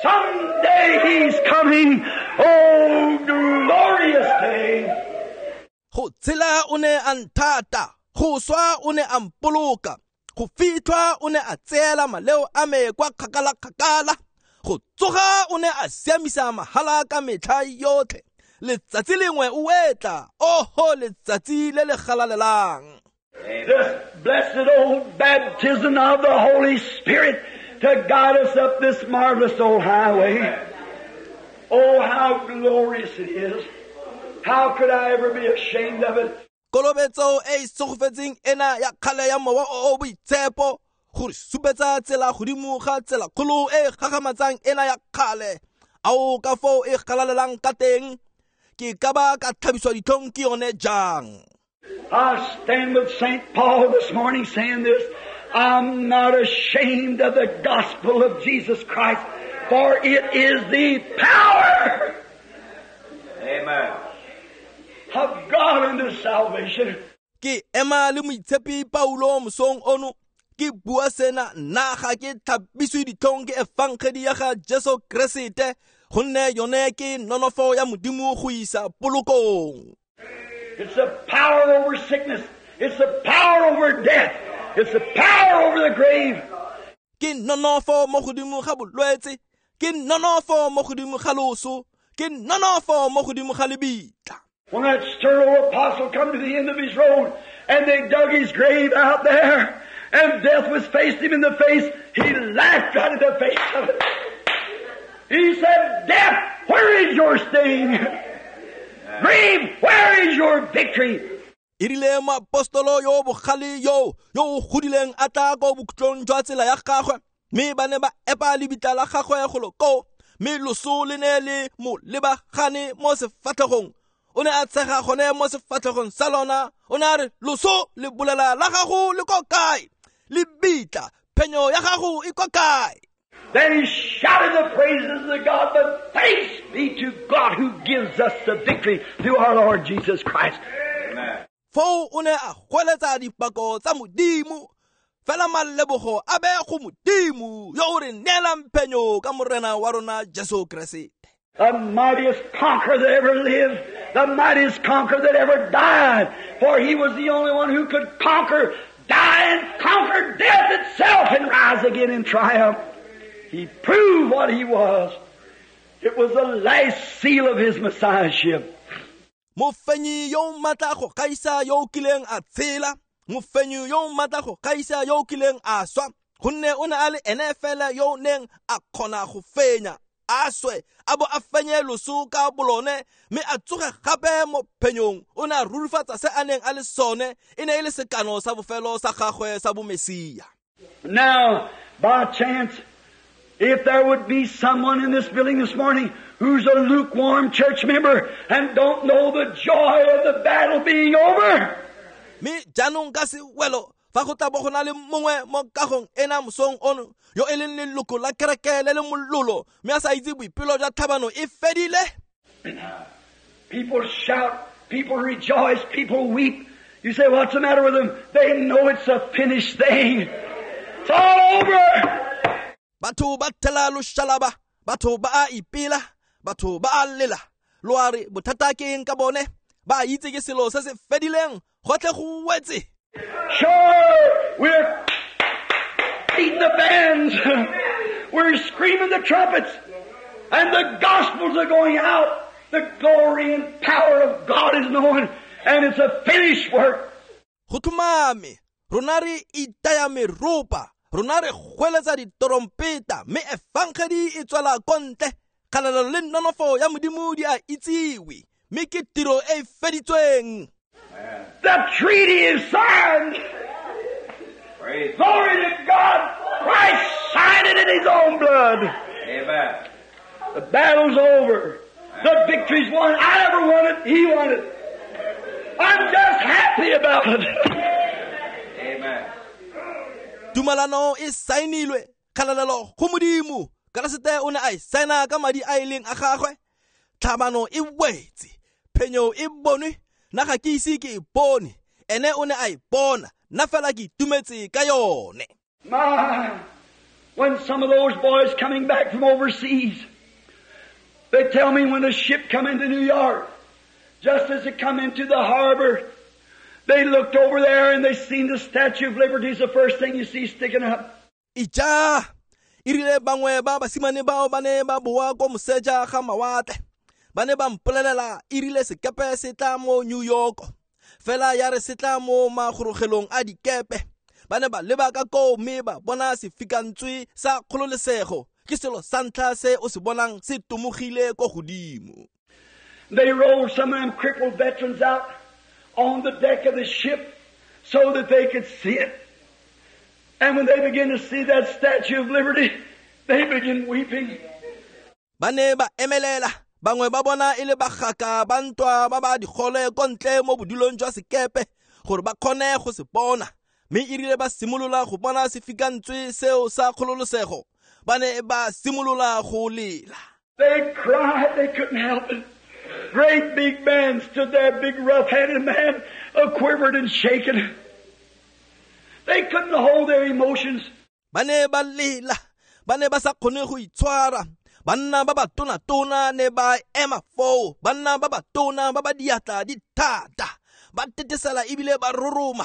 Someday he's coming. Oh, glorious day. Go tshela o ne a nthata, go swa o ne a mpoloka, go fitlhwa o ne a tseela maleo a me kwa kgakala-kgakala, go tsoga o ne a siamisa mahala ka metlha yotlhe. Letsatsi lengwe o etla, oho letsatsi le le galalelang. This blessed old baptism of the Holy Spirit to guide us up this marvelous old highway. Oh, how glorious it is. How could I ever be ashamed of it? Kolobetso e tsogofetseng ena ya kgale ya mowa o o boitshepo gore supetsa tsela godimo ga tsela kgolo e gagamatsang ena ya kgale. Ao ka foo e galalelang ka teng, ke ka ba ka tlhabiswa ditlhong ke yone jang. I stand with Saint Paul this morning saying this. I'm not ashamed of the gospel of Jesus Christ, for it is the power Amen. of God unto salvation. Ke ema le moitshepi Paulo mosong ono Ke bua sena nna ga ke tlhapiswe ditlhong ke efangedi ya ga Jesu Keresete, gonne yone ke nonofo ya Modimo go isa polokong. It's the power over sickness. It's the power over death. It's the power over the grave. Ke nonofo mo godimo ga bolwetse, ke nonofo mo godimo ga loso, ke nonofo mo godimo ga lebitla. When that stern old apostle come to the end of his road and they dug his grave out there and death was faced him in the face, he laughed right in the face of it. He said, "Death, where is your sting? Grave, where is your victory?" E rile moapostolo yo bogale yo yo o godileng a tla ko bokhutlong jwa tsela ya gagwe, mme ba ne ba epa lebitla la gagwe golo koo, mme loso le ne le mo lebagane mo sefatlhegong. O ne a tshega gone mo sefatlhegong sa lona. O ne a re, "Loso le bolela la gago le ko kae? Lebitla, phenyo ya gago e ko kae?" Then he shouted the praises of God, but thanks be to God who gives us the victory through our Lord Jesus Christ. Amen. Foo o ne a goeletsa dipako tsa Modimo, fela malebogo a be go Modimo yo o re neelang phenyo ka Morena wa rona Jesu Keresete. The mightiest conqueror that ever lived, the mightiest conqueror that ever died, for he was the only one who could conquer, die and conquer death itself and rise again in triumph. He proved what he was. It was the last seal of his messiahship. Mofenyi yo matla go gaisa yo o kileng a tshela, mofenyi yo matla go gaisa yo o kileng a swa, gonne o ne a le ene fela yo o neng a kgona go fenya, a swe, a bo a fenye loso ka bolone, mme a tsoge gape mo phenyong. O ne a rurifatsa se a neng a le sone, e ne e le sekano sa bofelo sa gagwe sa bomesia. Now, by chance, if there would be someone in this building this morning who's a lukewarm church member and don't know the joy of the battle being over, mme jaanong ka sewelo fa go tla bo go na le mongwe mo kagong ena mosong ono yo e leng leloko la kereke le le mololo, mme a sa itse boipelo jwa tlhabano e fedile. People shout, people rejoice, people weep. You say, "What's the matter with them?" They know it's a finished thing. It's all over. Batho ba thela loshalaba, batho ba a ipela, batho ba a lela. Lo a re bothata ke eng ka bone? Ba itse ke selo se se fedileng, gotlhe go wetse. Sure, we're beating the bands, we're screaming the trumpets, and the gospels are going out. The glory and power of God is known, and it's a finished work. Go tlhomame, rona re itaya meropa, rona re goeletsa ditorompeta, mme efangedi e tswela ko ntle. Kgalalelo le nonofo ya Modimo di a itsiwe, mme ke tiro e e feditsweng. The treaty is signed. Praise Glory to God. Christ signed it in His own blood. Amen. The battle's over. The victory's won. I never won it. He won it. I'm just happy about it. Amen. Tumalano e saenilwe, kgalalelo go Modimo. Keresete o ne a e saena ka madi a e leng a gagwe. Tlhabano e wetse, phenyo e bonwe, nna ga ke ise ke e bone, ene o ne a e bona, nna fela ke itumetse ka yone. My, when some of those boys coming back from overseas, they tell me when the ship come into New York, just as it come into the harbor, they looked over there and they seen the Statue of Liberty is the first thing you see sticking up. Ija, e rile bangwe ba basimane bao ba ne ba boa ko moseja ga mawatle, ba ne ba mpolelela e rile sekepe se tla mo New York, fela ya re se tla mo magorogelong a dikepe, ba ne ba leba ka koo mme ba bona sefikantswe sa kgololesego, ke selo sa ntlha se o se bonang se tomogile ko godimo. They rolled some of them crippled veterans out on the deck of the ship so that they could see it. And when they began to see that Statue of Liberty, they began weeping. Ba ne ba emelela, bangwe ba bona e le bagaka ba ntwa ba ba digole ko ntle mo bodulong jwa sekepe gore ba kgone go se bona. Mme e rile ba simolola go bona sefikantswe seo sa kgololosego, ba ne ba simolola go lela. They cried, they couldn't help it. Great big man stood there, big rough-handed man, uh, quivered and shaken. They couldn't hold their emotions. Ba ne ba lela, ba ne ba sa kgone go itshwara. Banna ba ba tona-tona ne ba ema foo, banna ba ba tona ba ba diatla di thata, ba tetesela ebile ba roroma.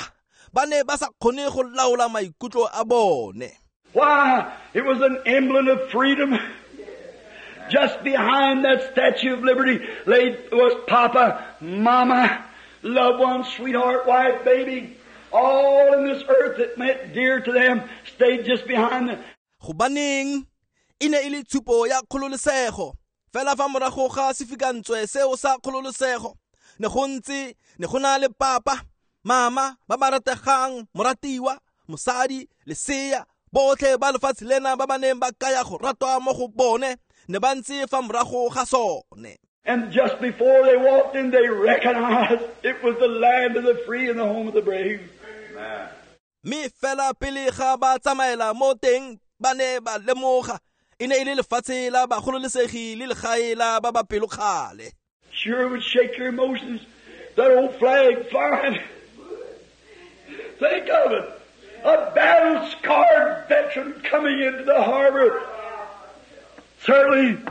Ba ne ba sa kgone go laola maikutlo a bone. Why? It was an emblem of freedom. Just behind that Statue of Liberty laid was Papa, Mama, loved one, sweetheart, wife, baby. All in this earth that meant dear to them stayed just behind them. Gobaneng e ne e le tshupo ya kgololosego. Fela fa morago ga sefikantswe seo sa kgololosego, ne go ntse ne go na le papa, mama ba ba rategang, moratiwa, mosadi, lesea, botlhe ba lefatshe lena ba ba neng ba kaya go ratwa mo go bone, ne ba ntse fa morago ga sone. And just before they walked in, they recognized it was the land of the free and the home of the brave. Amen. Mme fela pele ga ba tsamaela mo teng, ba ne ba lemoga e ne e le lefatshe la bagololesegi le legae la ba ba pelokgale. Sure would shake your emotions, that old flag flying. Think of it. A battle-scarred veteran coming into the harbor. Certainly,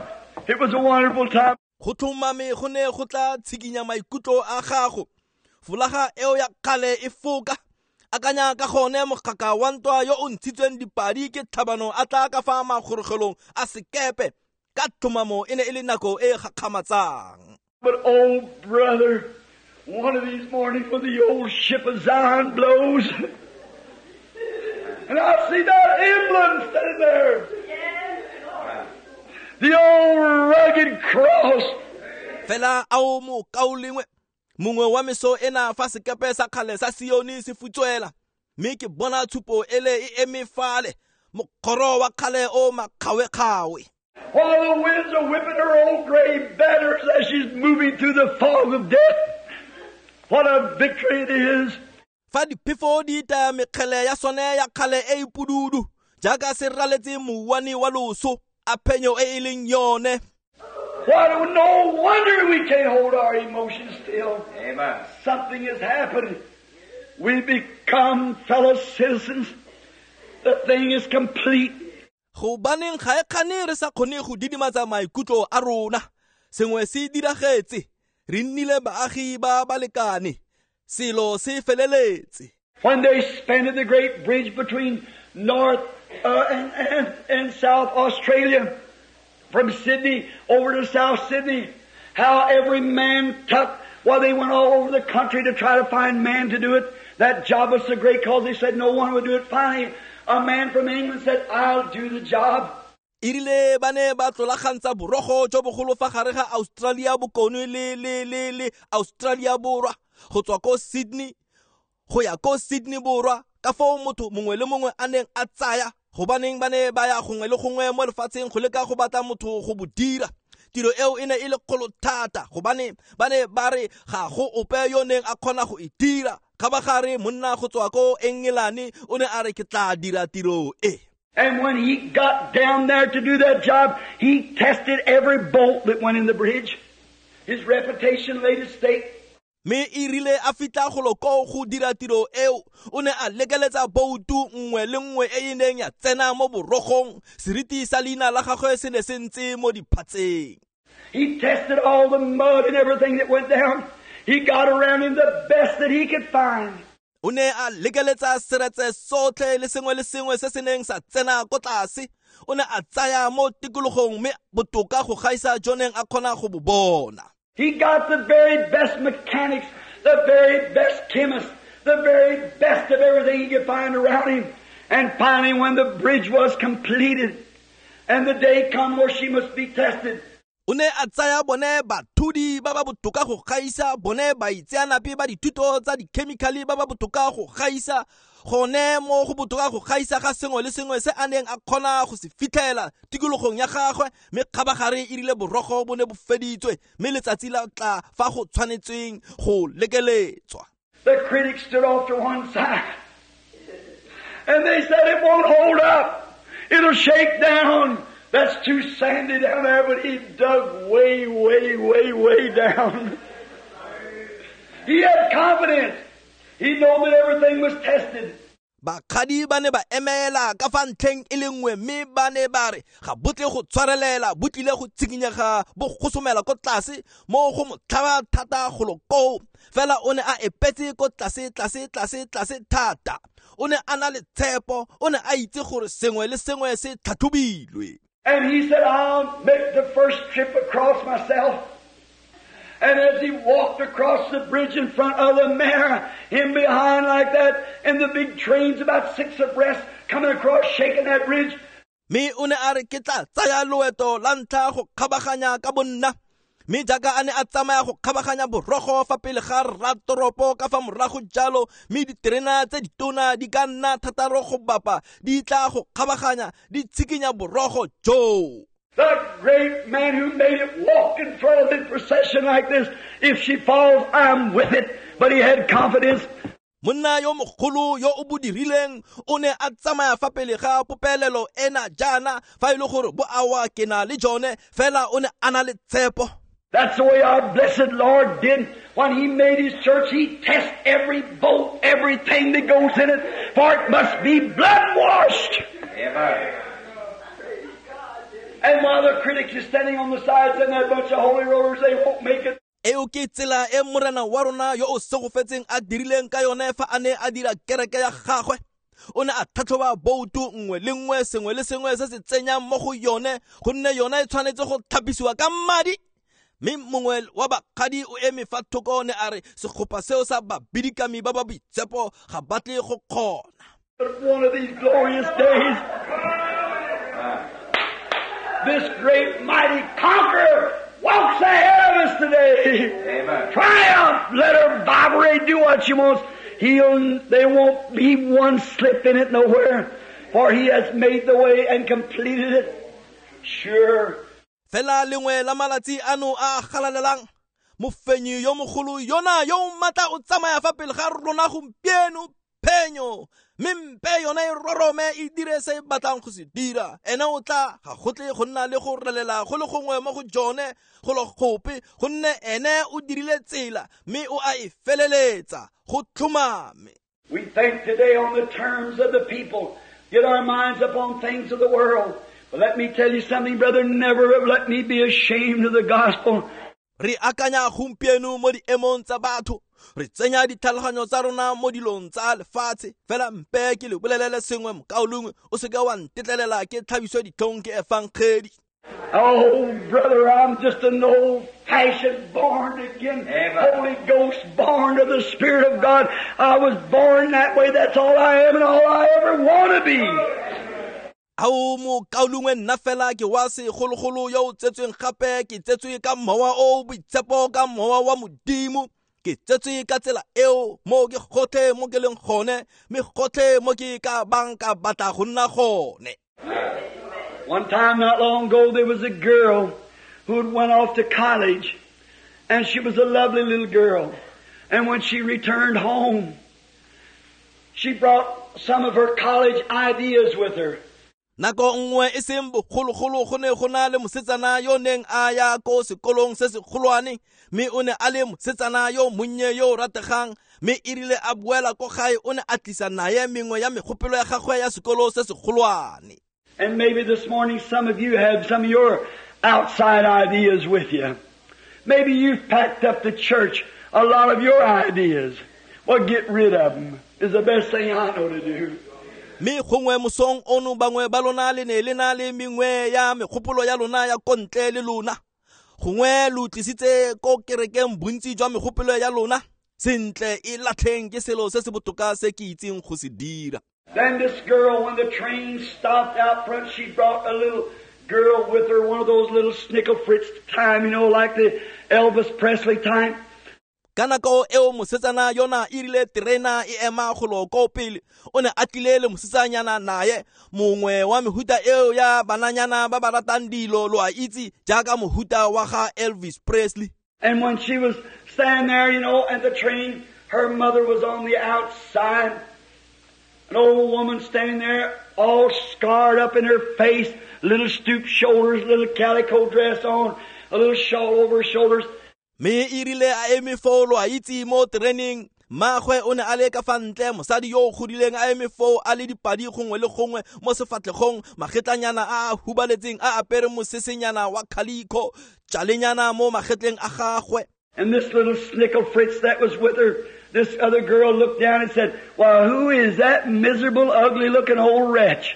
it was a wonderful time. Go tlhomame go ne go tla tshikinya maikutlo a gago. Folaga eo ya kgale e foka. Akanya ka gone mogaka wa ntwa yo o ntshitsweng dipadi ke tlhabano a tla ka fa magorogelong a sekepe. Ka tlhomamo e ne e le nako e gakgamatsang. But oh brother, one of these mornings when the old ship of Zion blows, and I see that emblem standing there. The old rugged cross. Fela ao mo kaolengwe mongwe wa meso ena fa sekepe sa kgale sa Sione se futswela, mme ke bona tshupo ele e eme fale, mokgoro wa kgale o makgawe-kgawe. While the winds are whipping her old gray banners as she's moving through the fog of death, what a victory it is. Fa diphefo di itaya mekgele ya sone ya kgale e e pududu, jaaka se raletse mouwane wa loso, a phenyo e e leng yone. Why, no wonder we can't hold our emotions still. Amen. Something has happened. We become fellow citizens. The thing is complete. Gobaneng ga e kgane re sa kgone go didimatsa maikutlo a rona. Sengwe se diragetse. Re nnile baagi ba balekane. Selo se feleletse. When they spanned the great bridge between North uh, and, and, and South Australia, from Sydney over to South Sydney, how every man took, well, they went all over the country to try to find man to do it. That job was so great because they said no one would do it. Finally, a man from England said, I'll do the job. Erile ba ne ba tlolagantsa borogo jo bogolo fa gare ga Australia bokone le le le le Australia borwa, go tswa ko Sydney go ya ko Sydney borwa, ka foo motho mongwe le mongwe a neng a tsaya, gobaneng ba ne ba ya gongwe le gongwe mo lefatsheng go leka go batla motho go bo dira. Tiro eo e ne e le kgolo thata, gobane ba ne ba re ga go ope yo neng a kgona go e dira. Kgabagare monna go tswa ko Engelane o ne a re ke tla dira tiro e. And when he got down there to do that job, he tested every bolt that went in the bridge. His reputation laid at stake. Mme e rile a fitlha golo koo go dira tiro eo, o ne a lekeletsa boutu nngwe le nngwe e e neng ya tsena mo borogong. Seriti sa leina la gagwe se ne se ntse mo diphatseng. He tested all the mud and everything that went down. He got around him the best that he could find. O ne a lekeletsa seretse sotlhe le sengwe le sengwe se se neng sa tsena ko tlase. O ne a tsaya mo tikologong mme botoka go gaisa jo neng a kgona go bo bona. He got the very best mechanics, the very best chemists, the very best of everything he could find around him. And finally, when the bridge was completed and the day come where she must be tested, O ne a tsaya bone bathudi ba ba botoka go gaisa, bone baitseanape ba dithuto tsa dikhemikhale ba ba botoka go gaisa, gone mo go botoka go gaisa ga sengwe le sengwe se a neng a kgona go se fitlhela tikologong ya gagwe. Mme kgabagare e rile borogo bo ne bo feditswe, mme letsatsi la tla fa go tshwanetsweng go lekeletswa. The critics stood off to one side and they said it won't hold up, it'll shake down. That's too sandy down there, but he dug way, way, way, way down. He had confidence. He knew that everything was tested. Bakgadi ba ne ba emela ka fa ntlheng e le nngwe mme ba ne ba re ga bo tle go tshwarelela, bo tlile go tshikinyega, bo gosomela ko tlase mo go motlhaba thata golo koo. Fela o ne a epetse ko tlase tlase tlase tlase thata. O ne a na le tshepo, o ne a itse gore sengwe le sengwe se tlhatlhobilwe. And he said, I'll make the first trip across myself. And as he walked across the bridge in front of the mare, him behind like that, and the big trains about six abreast coming across, shaking that bridge. Me o ne a re ke tla tsaya loeto la ntlha go kgabaganya ka bonna. Mme jaaka a ne a tsamaya go kgabaganya borogo fa pele ga rratoropo ka fa morago jalo, mme diterena tse ditona di ka nna thataro go bapa di tla go kgabaganya di tshikinya borogo joo. The great man who made it walk in front of the procession like this, if she falls, I'm with it. But he had confidence. Monna yo mogolo yo o bodirileng o ne a tsamaya fa pele ga popelelo ena jaana, fa e le gore bo awa ke na le jone, fela o ne a na le tshepo. That's the way our blessed Lord did. When He made His church, He tests every bolt, everything that goes in it, for it must be blood-washed. Amen. And while the critics are standing on the sides and that bunch of holy rollers, they won't make it. Eo ke tsela e morena wa rona yo o segofetseng a dirileng ka yone fa a ne a dira kereke ya gagwe. O ne a tlhatlhoba boutu nngwe le nngwe, sengwe le sengwe se se tsenyang mo go yone, gonne yone e tshwanetse go tlhapisiwa ka madi. Mme mongwe wa bakgadi o eme fa thoko ne a re segopa seo sa babidikami ba ba boitshepo ga ba tle go kgona. But one of these glorious days, this great mighty conqueror walks ahead of us today. Amen. Triumph! Let her vibrate, do what she wants. He'll, there won't be one slip in it nowhere, for He has made the way and completed it. Sure. Fela lengwe la malatsi ano a galalelang, mofenyi yo mogolo yona yo o matla o tsamaya fa pele ga rona gompieno, phenyo. Mme mpe yone e rorome e dire se e batlang go se dira. Ene o tla ga go tle go nna le go relela go le gongwe mo go jone go le gope, gonne ene o dirile tsela mme o a e feleletsa go tlhomame. We think today on the terms of the people, get our minds upon things of the world. But let me tell you something, brother, never let me be ashamed of the gospel. Re akanya gompieno mo diemong tsa batho, re tsenya ditlhaloganyo tsa rona mo dilong tsa lefatshe. Fela mpe ke le bolelele sengwe mokaulengwe, o seke wa ntetlelela ke tlhabiswe ditlhong ke efangedi. Oh, brother, I'm just an old-fashioned, born again, Amen. Holy Ghost, born of the Spirit of God. I was born that way. That's all I am and all I ever want to be. Ao mokaulengwe, nna fela ke wa segologolo yo o tsetsweng gape, ke tsetswe ka mowa o boitshepo, ka mowa wa Modimo. Ke tsetswe ka tsela eo, mo ke gotlhe mo ke leng gone, mme gotlhe mo ke ka bang ka batla go nna gone. One time not long ago, there was a girl who had went off to college, and she was a lovely little girl. And when she returned home, she brought some of her college ideas with her. Nako nngwe e seng bogologolo go ne go na le mosetsana yo neng a ya ko sekolong se segolwane, mme o ne a le mosetsana yo monnye yo o rategang, mme e rile a boela ko gae o ne a tlisa naye mengwe ya megopolo ya gagwe ya sekolo se segolwane. And maybe this morning some of you have some of your outside ideas with you. Maybe you've packed up the church a lot of your ideas. Well, get rid of them is the best thing I know to do. Mme gongwe mosong ono bangwe ba lona le ne le na le mengwe ya megopolo ya lona ya kontle le lona. Gongwe lo tlisitse ko kerekeng bontsi jwa megopolo ya lona. Sentle e latlheng ke selo se se botoka se ke itseng go se dira. Then this girl, when the train stopped out front, she brought a little girl with her, one of those little snickle fritz time, you know, like the Elvis Presley type. Ka nako eo mosetsana yona e rile terena e ema golo ko pele, o ne a tlile le mosetsanyana naye, mongwe wa mehuta eo ya bananyana ba ba ratang dilo, lo a itse, jaaka mohuta wa ga Elvis Presley. And when she was standing there, you know, at the train, her mother was on the outside. An old woman standing there, all scarred up in her face, little stooped shoulders, little calico dress on, a little shawl over her shoulders. Me e rile a eme foo, lo a itse, mo tereneng, Mmagwe o ne a le ka fa ntle, mosadi yo o godileng a eme foo a le dipadi gongwe le gongwe mo sefatlhegong, magetlanyana a a hubaletseng a apere mosesenyana wa khalikho, tšalenyana mo magetleng a gagwe. And this little snickle Fritz that was with her, this other girl looked down and said, "Well, who is that miserable, ugly-looking old wretch?"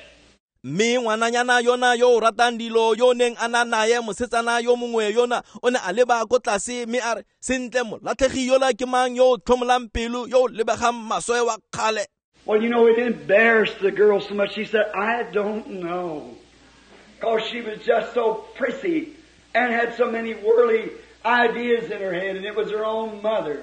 Mme ngwananyana yona yo o ratang dilo yo neng a na naye mosetsana yo mongwe yona o ne a leba ko tlase mme a re, sentle molatlhegi yola ke mang yo o tlhomolang pelo yo o lebegang maswe wa kgale. Well, you know, it embarrassed the girl so much. She said, "I don't know." Because she was just so prissy and had so many worldly ideas in her head, and it was her own mother.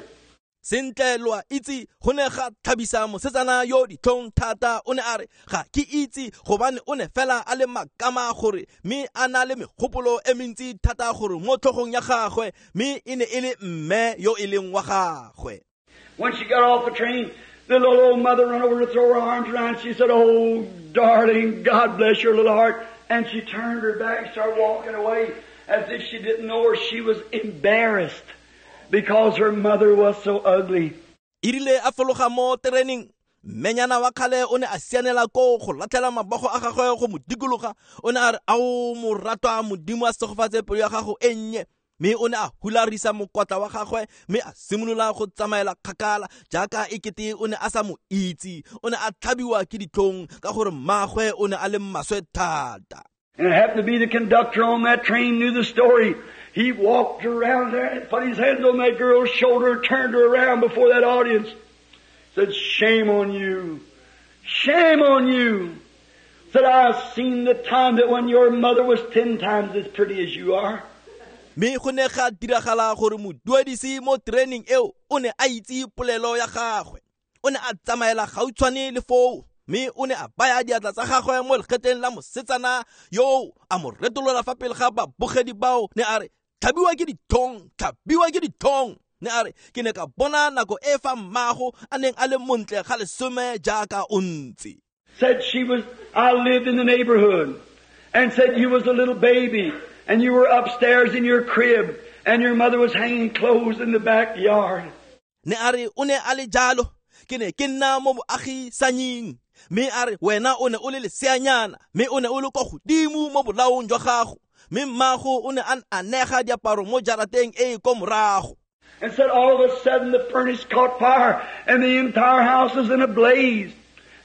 Sentle lo a itse go ne ga tlhabisa mosetsana yo ditlhong thata. O ne a re, ga ke itse, gobane o ne fela a le makama gore mme a na le megopolo e mentsi thata gore mo tlhogong ya gagwe, mme e ne e le mme yo e leng wa gagwe. When she got off the train, the little old mother ran over to throw her arms around. She said, "Oh, darling, God bless your little heart." And she turned her back and started walking away as if she didn't know her. She was embarrassed because her mother was so ugly. E rile a fologa mo tereneng, mmenyana wa kgale o ne a sianela koo go latlhela mabogo a gagwe go mo dikologa. O ne a re, ao moratwa, Modimo a segofatse pelo ya gago e nnye. Mme o ne a hularisa mokotla wa gagwe mme a simolola go tsamaela kgakala jaaka e kete o ne a sa mo itse. O ne a tlhabiwa ke ditlhong ka gore mmagwe o ne a le maswe thata. And it happened to be the conductor on that train knew the story. He walked around there and put his hands on that girl's shoulder and turned her around before that audience. Said, "Shame on you. Shame on you." Said, "I've seen the time that when your mother was ten times as pretty as you are." Mme go ne ga diragala gore moduedisi mo training eo o ne a itse polelo ya gagwe. O ne a tsamaela gautshwane le foo, mme o ne a baya diatla tsa gagwe mo legetleng la mosetsana yo a mo retolola fa pele ga babogedi bao. Ne a re, tlhabiwa ke ditlhong, tlhabiwa ke ditlhong. Ne a re, ke ne ka bona nako e fa mmago a neng a le montle ga lesome jaaka o ntse. Said she was, I lived in the neighborhood, and said you was a little baby, and you were upstairs in your crib, and your mother was hanging clothes in the backyard. Ne a re, o ne a le jalo, ke ne ke nna mo boagisanying. Mme a re, wena o ne o le leseanyana, mme o ne o le kwa godimo mo bolaong jwa gago, mme mmago o ne a anega diaparo mo jarateng e e ko morago. And said all of a sudden the furnace caught fire and the entire house was in a blaze.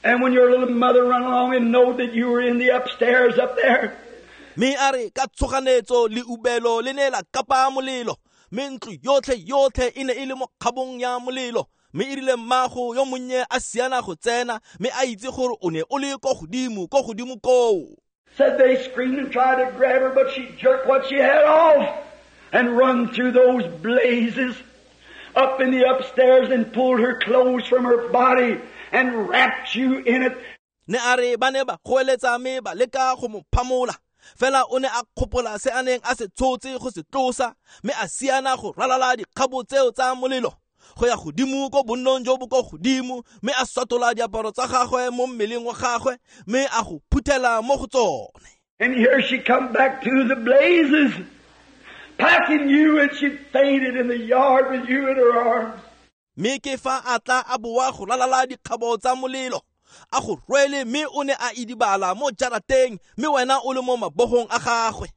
And when your little mother run along and know that you were in the upstairs up there. Mme a re ka tshoganetso le ubelo le ne la kapa molelo, mme ntlo yotlhe yotlhe e ne e le mo kgabong ya molelo. Mme e rile mmago yo monnye a siana go tsena, mme a itse gore o ne o le ko godimo, ko godimo koo. Said they screamed and tried to grab her, but she jerked what she had off and run through those blazes up in the upstairs and pulled her clothes from her body and wrapped you in it. Ne a re ba ne ba goeletsa mme ba leka go mo phamola, fela o ne a kgopola se a neng a se tshotse go se tlosa, mme a siana go ralala dikgabo tseo tsa molelo go ya godimo ko bonnong jo bo ko godimo, mme a swatola diaparo tsa gagwe mo mmeleng wa gagwe mme a go phuthela mo go tsone. And here she come back to the blazes, packing you, and she fainted in the yard with you in her arms. Mme ke fa a tla a boa go ralala dikgabo tsa molelo, a go rwele, mme o ne a idibala mo jarateng, mme wena o le mo mabogong a gagwe.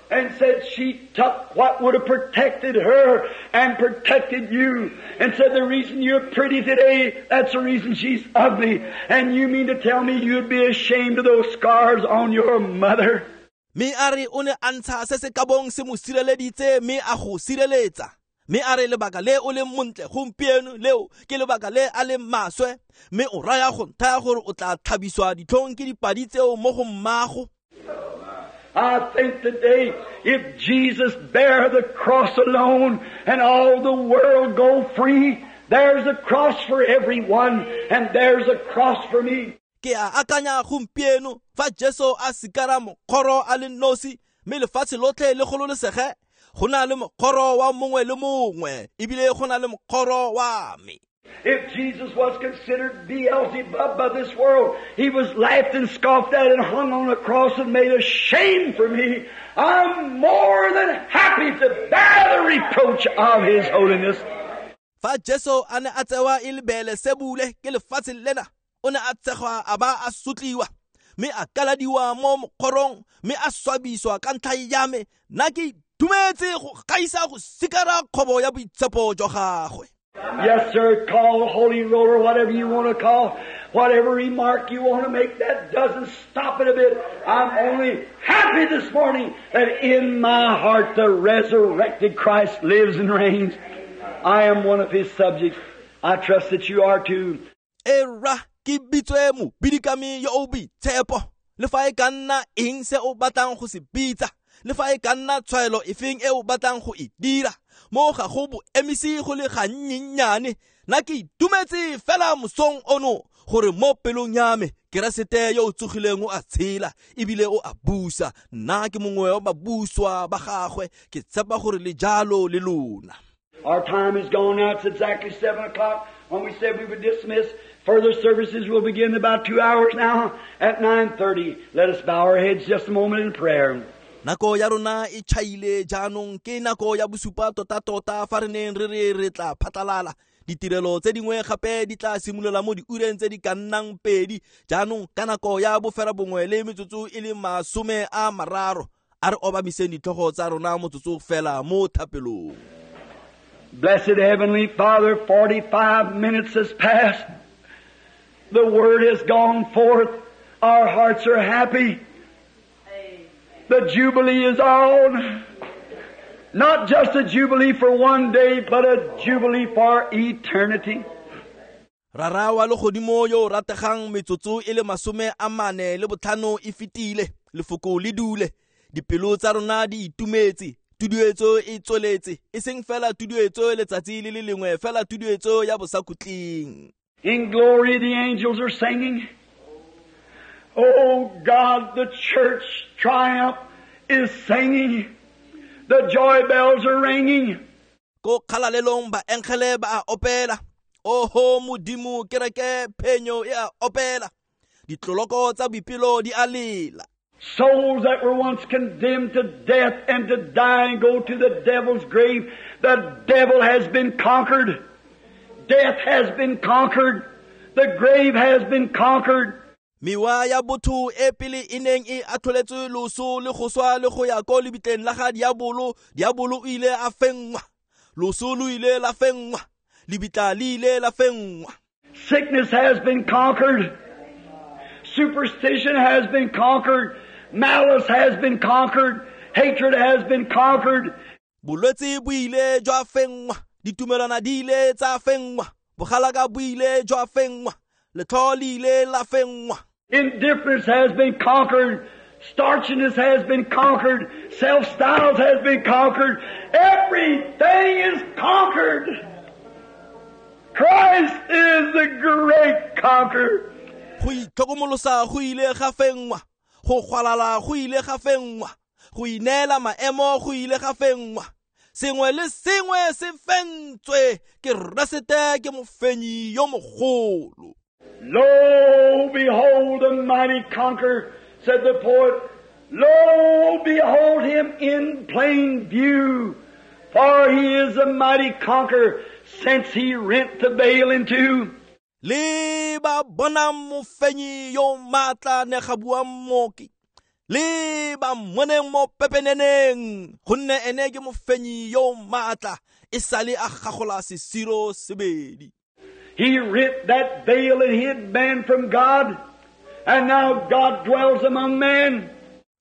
And said she took what would have protected her and protected you. And said the reason you're pretty today, that's the reason she's ugly. And you mean to tell me you'd be ashamed of those scars on your mother? Mme a re o ne a ntsha se se ka bong se mo sireleditse, mme a go sireletsa. Mme a re lebaka le o leng montle gompieno leo ke lebaka le a leng maswe, mme o raya go nthaya gore o tla tlhabiswa ditlhong ke dipadi tseo mo go mmago. I think today, if Jesus bear the cross alone and all the world go free, there's a cross for everyone and there's a cross for me. Ke a akanya gompieno fa Jesu a sikara mokgoro a le nosi, mme lefatshe lotlhe le gololesege, go na le mokgoro wa mongwe le mongwe, ebile go na le mokgoro wa me. If Jesus was considered Beelzebub by this world, he was laughed and scoffed at and hung on a cross and made a shame for me. I'm more than happy to bear the reproach of his holiness. Fa Jesu a ne a tsewa e le Beelesebule ke lefatshe lena, o ne a tshegwa a ba a sotliwa, mme a kaladiwa mo mokgorong, mme a swabiswa ka ntlha ya me. Nna ke itumetse go gaisa go sikara kgobo ya boitshepo jwa gagwe. Yes, sir, call holy roller, whatever you want to call, whatever remark you want to make, that doesn't stop it a bit. I'm only happy this morning that in my heart the resurrected Christ lives and reigns. I am one of His subjects. I trust that you are too. Era ke bitswe mobidikami yo o boitshepo, le fa e ka nna eng se o batlang go se bitsa, le fa e ka nna tshwaelo efeng e o batlang go e dira, mo ga go bo emise go le gannyenyane. Nna ke itumetse fela mosong ono gore mo pelong ya me Keresete yo o tsogileng o a tshela ebile o a busa. Nna ke mongwe wa babuswa ba gagwe, ke tshepa gore le jalo le lona. Our time is gone now. It's exactly seven o'clock when we said we would dismiss. Further services will begin in about two hours now at nine thirty. Let us bow our heads just a moment in prayer. Nako ya rona e tšhaile jaanong, ke nako ya bosupa tota-tota fa re neng re re re tla phatlalala. Ditirelo tse dingwe gape di tla simolola mo diureng tse di ka nnang pedi jaanong ka nako ya bofera bongwe le metsotso e le masome a mararo. A re obamiseng ditlhogo tsa rona motsotso fela mo thapelong. Blessed Heavenly Father, forty-five minutes has passed. The Word has gone forth. Our hearts are happy. The Jubilee is on. Not just a Jubilee for one day, but a Jubilee for eternity. Rara wa legodimo yo o rategang, metsotso e le masome a mane le botlhano e fetile, lefoko le dule, dipelo tsa rona di itumetse, tuduetso e tsweletse, e seng fela tuduetso letsatsi le le lengwe, fela tuduetso ya bosakhutleng. In glory the angels are singing. Oh God, the church triumph is singing. The joy bells are ringing. Ko kgalalelong ba engele ba a opela. Oho Modimo, kereke phenyo e a opela. Ditloloko tsa boipelo di a lela. Souls that were once condemned to death and to die and go to the devil's grave, the devil has been conquered. Death has been conquered. The grave has been conquered. Mewa ya botho e pele e neng e atlholetswe loso le go swa le go ya ko lebitleng la ga diabolo, diabolo o ile a fenngwa, loso lo ile la fenngwa, lebitla le ile la fenngwa. Sickness has been conquered. Superstition has been conquered. Malice has been conquered. Hatred has been conquered. Bolwetse bo ile jwa fenngwa, ditumelwana di ile tsa fenngwa, bogalaka bo ile jwa fenngwa, letlho le ile la fenngwa. Indifference has been conquered. Starchiness has been conquered. Self-styles has been conquered. Everything is conquered. Christ is the great conqueror. Go itlhokomolosa go ile ga fenngwa, go gwalala go ile ga fenngwa, go ineela maemo go ile ga fenngwa. Sengwe le sengwe se fentswe ke Keresete, ke mofenyi yo mogolo. Lo, behold the mighty conqueror, said the poet. Lo, behold him in plain view, for he is a mighty conqueror, since he rent the veil in two. Le ba bona mofenyi yo matla ne ga bua mmoki, le ba mmoneng mo pepeneneng, gonne ene ke mofenyi yo matla, e sale a gagola sesiro sebedi. He rent that veil that hid man from God, and now God dwells among men.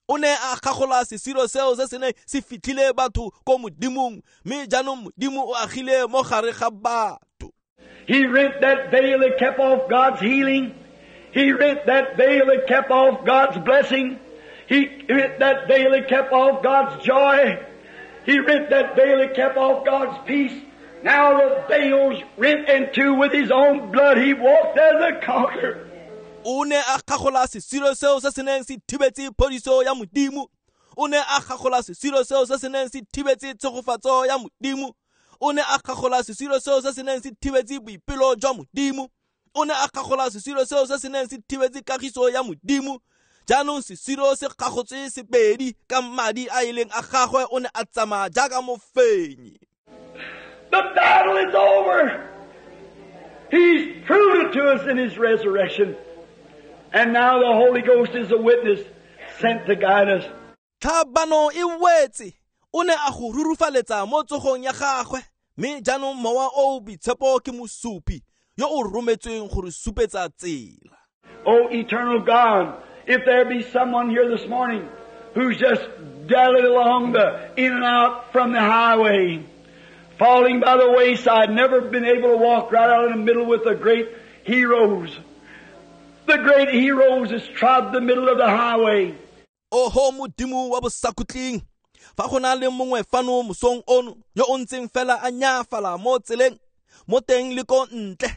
O ne a gagola sesiro seo se se neng se fitlhile batho ko modimong, mme jaanong modimo o agile mo gare ga batho. He rent that veil that kept off God's healing. He rent that veil that kept off God's blessing. He rent that veil that kept off God's joy. He rent that veil that kept off God's peace. Now the veil's rent in two with His own blood. He walked as a conqueror. O ne a gagola sesiro seo se se neng se thibetse phodiso ya modimo. O ne a gagola sesiro seo se se neng se thibetse tshegofatso ya modimo. O ne a gagola sesiro seo se se neng se thibetse boipelo jwa modimo. O ne a gagola sesiro seo se se neng se thibetse kagiso ya modimo. Jaanong sesiro se gagotswe sepedi ka madi a e leng a gagwe, o ne a tsamaya jaaka mofenyi. The battle is over. He's proved it to us in His resurrection. And now the Holy Ghost is a witness sent to guide us. Tlhabano e wetse, o ne a go rurufaletsa mo tsogong ya gagwe, mme jaanong Mowa o o Boitshepo ke mosupi yo o rometsweng go re supetsa tsela. O eternal God, if there be someone here this morning who's just dallied along the in and out from the highway, falling by the wayside, never been able to walk right out in the middle with the great heroes. The great heroes has trod the middle of the highway. Oho Modimo wa bosakhutleng, fa go na le mongwe fano mosong ono yo o ntseng fela a nyaafala mo tseleng, mo teng le ko ntle,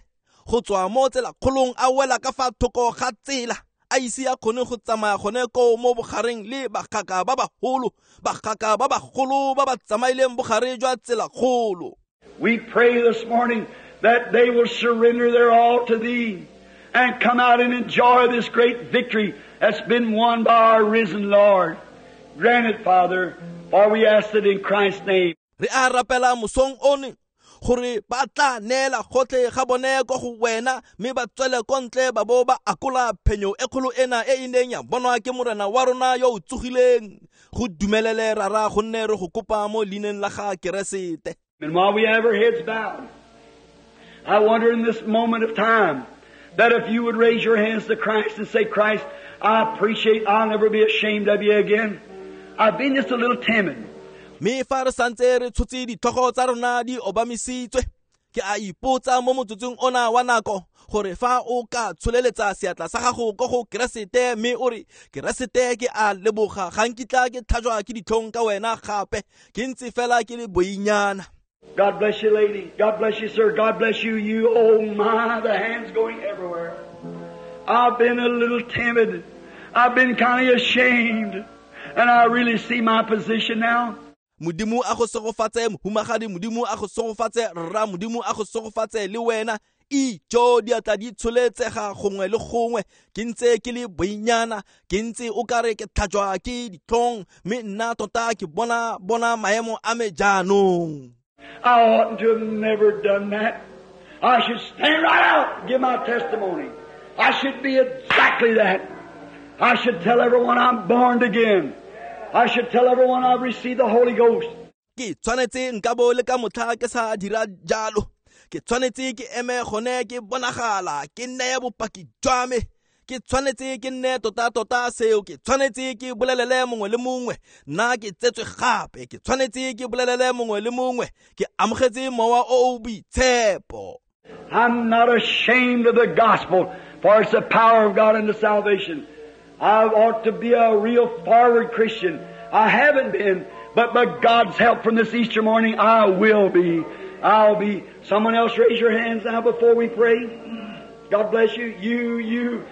go tswa mo tselakgolong a wela ka fa thoko ga tsela, a ise a kgone go tsamaya gone koo mo bogareng le bagaka ba bagolo, bagaka ba bagolo ba ba tsamaileng bogare jwa tselakgolo. We pray this morning that they will surrender their all to Thee and come out and enjoy this great victory that's been won by our risen Lord. Grant it, Father, for we ask it in Christ's name. Re a rapela mosong ono gore ba tla neela gotlhe ga bone ko go wena, mme ba tswele ko ntle ba bo ba akola phenyo e kgolo ena e e neng ya bonwa ke Morena wa rona yo o tsogileng. Go dumelele Rara, gonne re go kopa mo leineng la ga Keresete. And while we have our heads bowed, I wonder in this moment of time that if you would raise your hands to Christ and say, Christ, I appreciate, I'll never be ashamed of you again. I've been just a little timid. Me fa re santse re tshotse ditlhogo tsa rona di obamisitswe, ke a ipotsa mo motsotsong ona wa nako gore fa o ka tsholeletsa seatla sa gago ko go Keresete mme o re, Keresete, ke a leboga, ga nkitla ke tlhajwa ke ditlhong ka wena gape, ke ntse fela ke le boinyana. God bless you, lady. God bless you, sir. God bless you, you. Oh my, the hand's going everywhere. I've been a little timid. I've been kind of ashamed. And I really see my position now. Modimo a go segofatse mohumagadi, Modimo a go segofatse rra, Modimo a go segofatse le wena. Ijo diatla di tsholetsega gongwe le gongwe, ke ntse ke le boinyana, ke ntse o kare ke tlhajwa ke ditlhong, mme nna tota ke bona bona maemo a me jaanong. I oughtn't to have never done that. I should stand right out and give my testimony. I should be exactly that. I should tell everyone I'm born again. I should tell everyone I've received the Holy Ghost. Ke tshwanetse nka bo le ka motlha ke sa dira jalo. Ke tshwanetse ke eme gone ke bonagala, ke neye bopaki jwa me. Ke tshwanetse ke nne tota-tota seo, ke tshwanetse ke bolelele mongwe le mongwe, nna ke tsetswe gape, ke tshwanetse ke bolelele mongwe le mongwe, ke amogetse Mowa o o Boitshepo. I'm not ashamed of the gospel, for it's the power of God unto salvation. I ought to be a real forward Christian. I haven't been, but by God's help from this Easter morning, I will be. I'll be. Someone else raise your hands now before we pray. God bless you. You, you.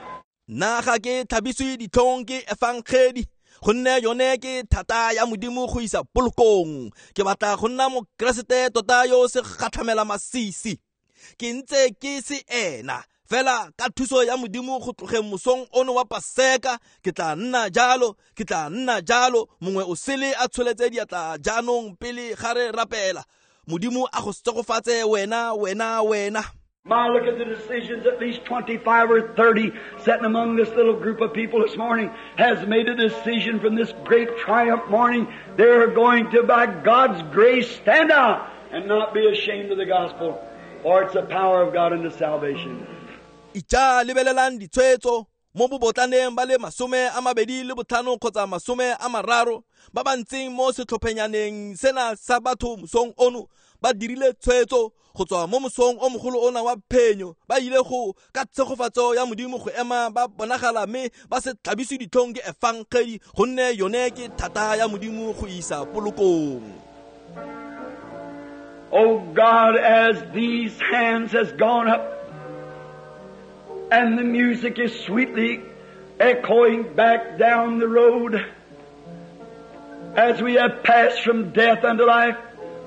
Nna ga ke tlhabiswe ditlhong ke efangedi, gonne yone ke thata ya Modimo go isa polokong. Ke batla go nna mokeresete tota yo se gatlhamela masisi. Ke ntse ke se ena, fela ka thuso ya Modimo go tlogeng mosong ono wa Paseka, ke tla nna jalo, ke tla nna jalo. Mongwe o sele a tsholetse diatla jaanong pele ga re rapela. Modimo a go segofatse wena, wena, wena. My, look at the decisions. At least twenty-five or thirty sitting among this little group of people this morning has made a decision from this great triumph morning. They're going to, by God's grace, stand out and not be ashamed of the gospel, for it's the power of God unto salvation. Ija lebelelang ditshwetso mo bobotlaneng ba le masome a mabedi le botlhano kgotsa masome a mararo ba ba ntseng mo setlhophenyaneng sena sa batho mosong ono ba dirile tshwetso go tswa mo mosong o mogolo ona wa phenyo, ba ile go ka tshegofatso ya Modimo go ema ba bonagala mme ba se tlhabiswe ditlhong ke efangedi, gonne yone ke thata ya Modimo go isa polokong. Oh God, as these hands has gone up and the music is sweetly echoing back down the road, as we have passed from death unto life,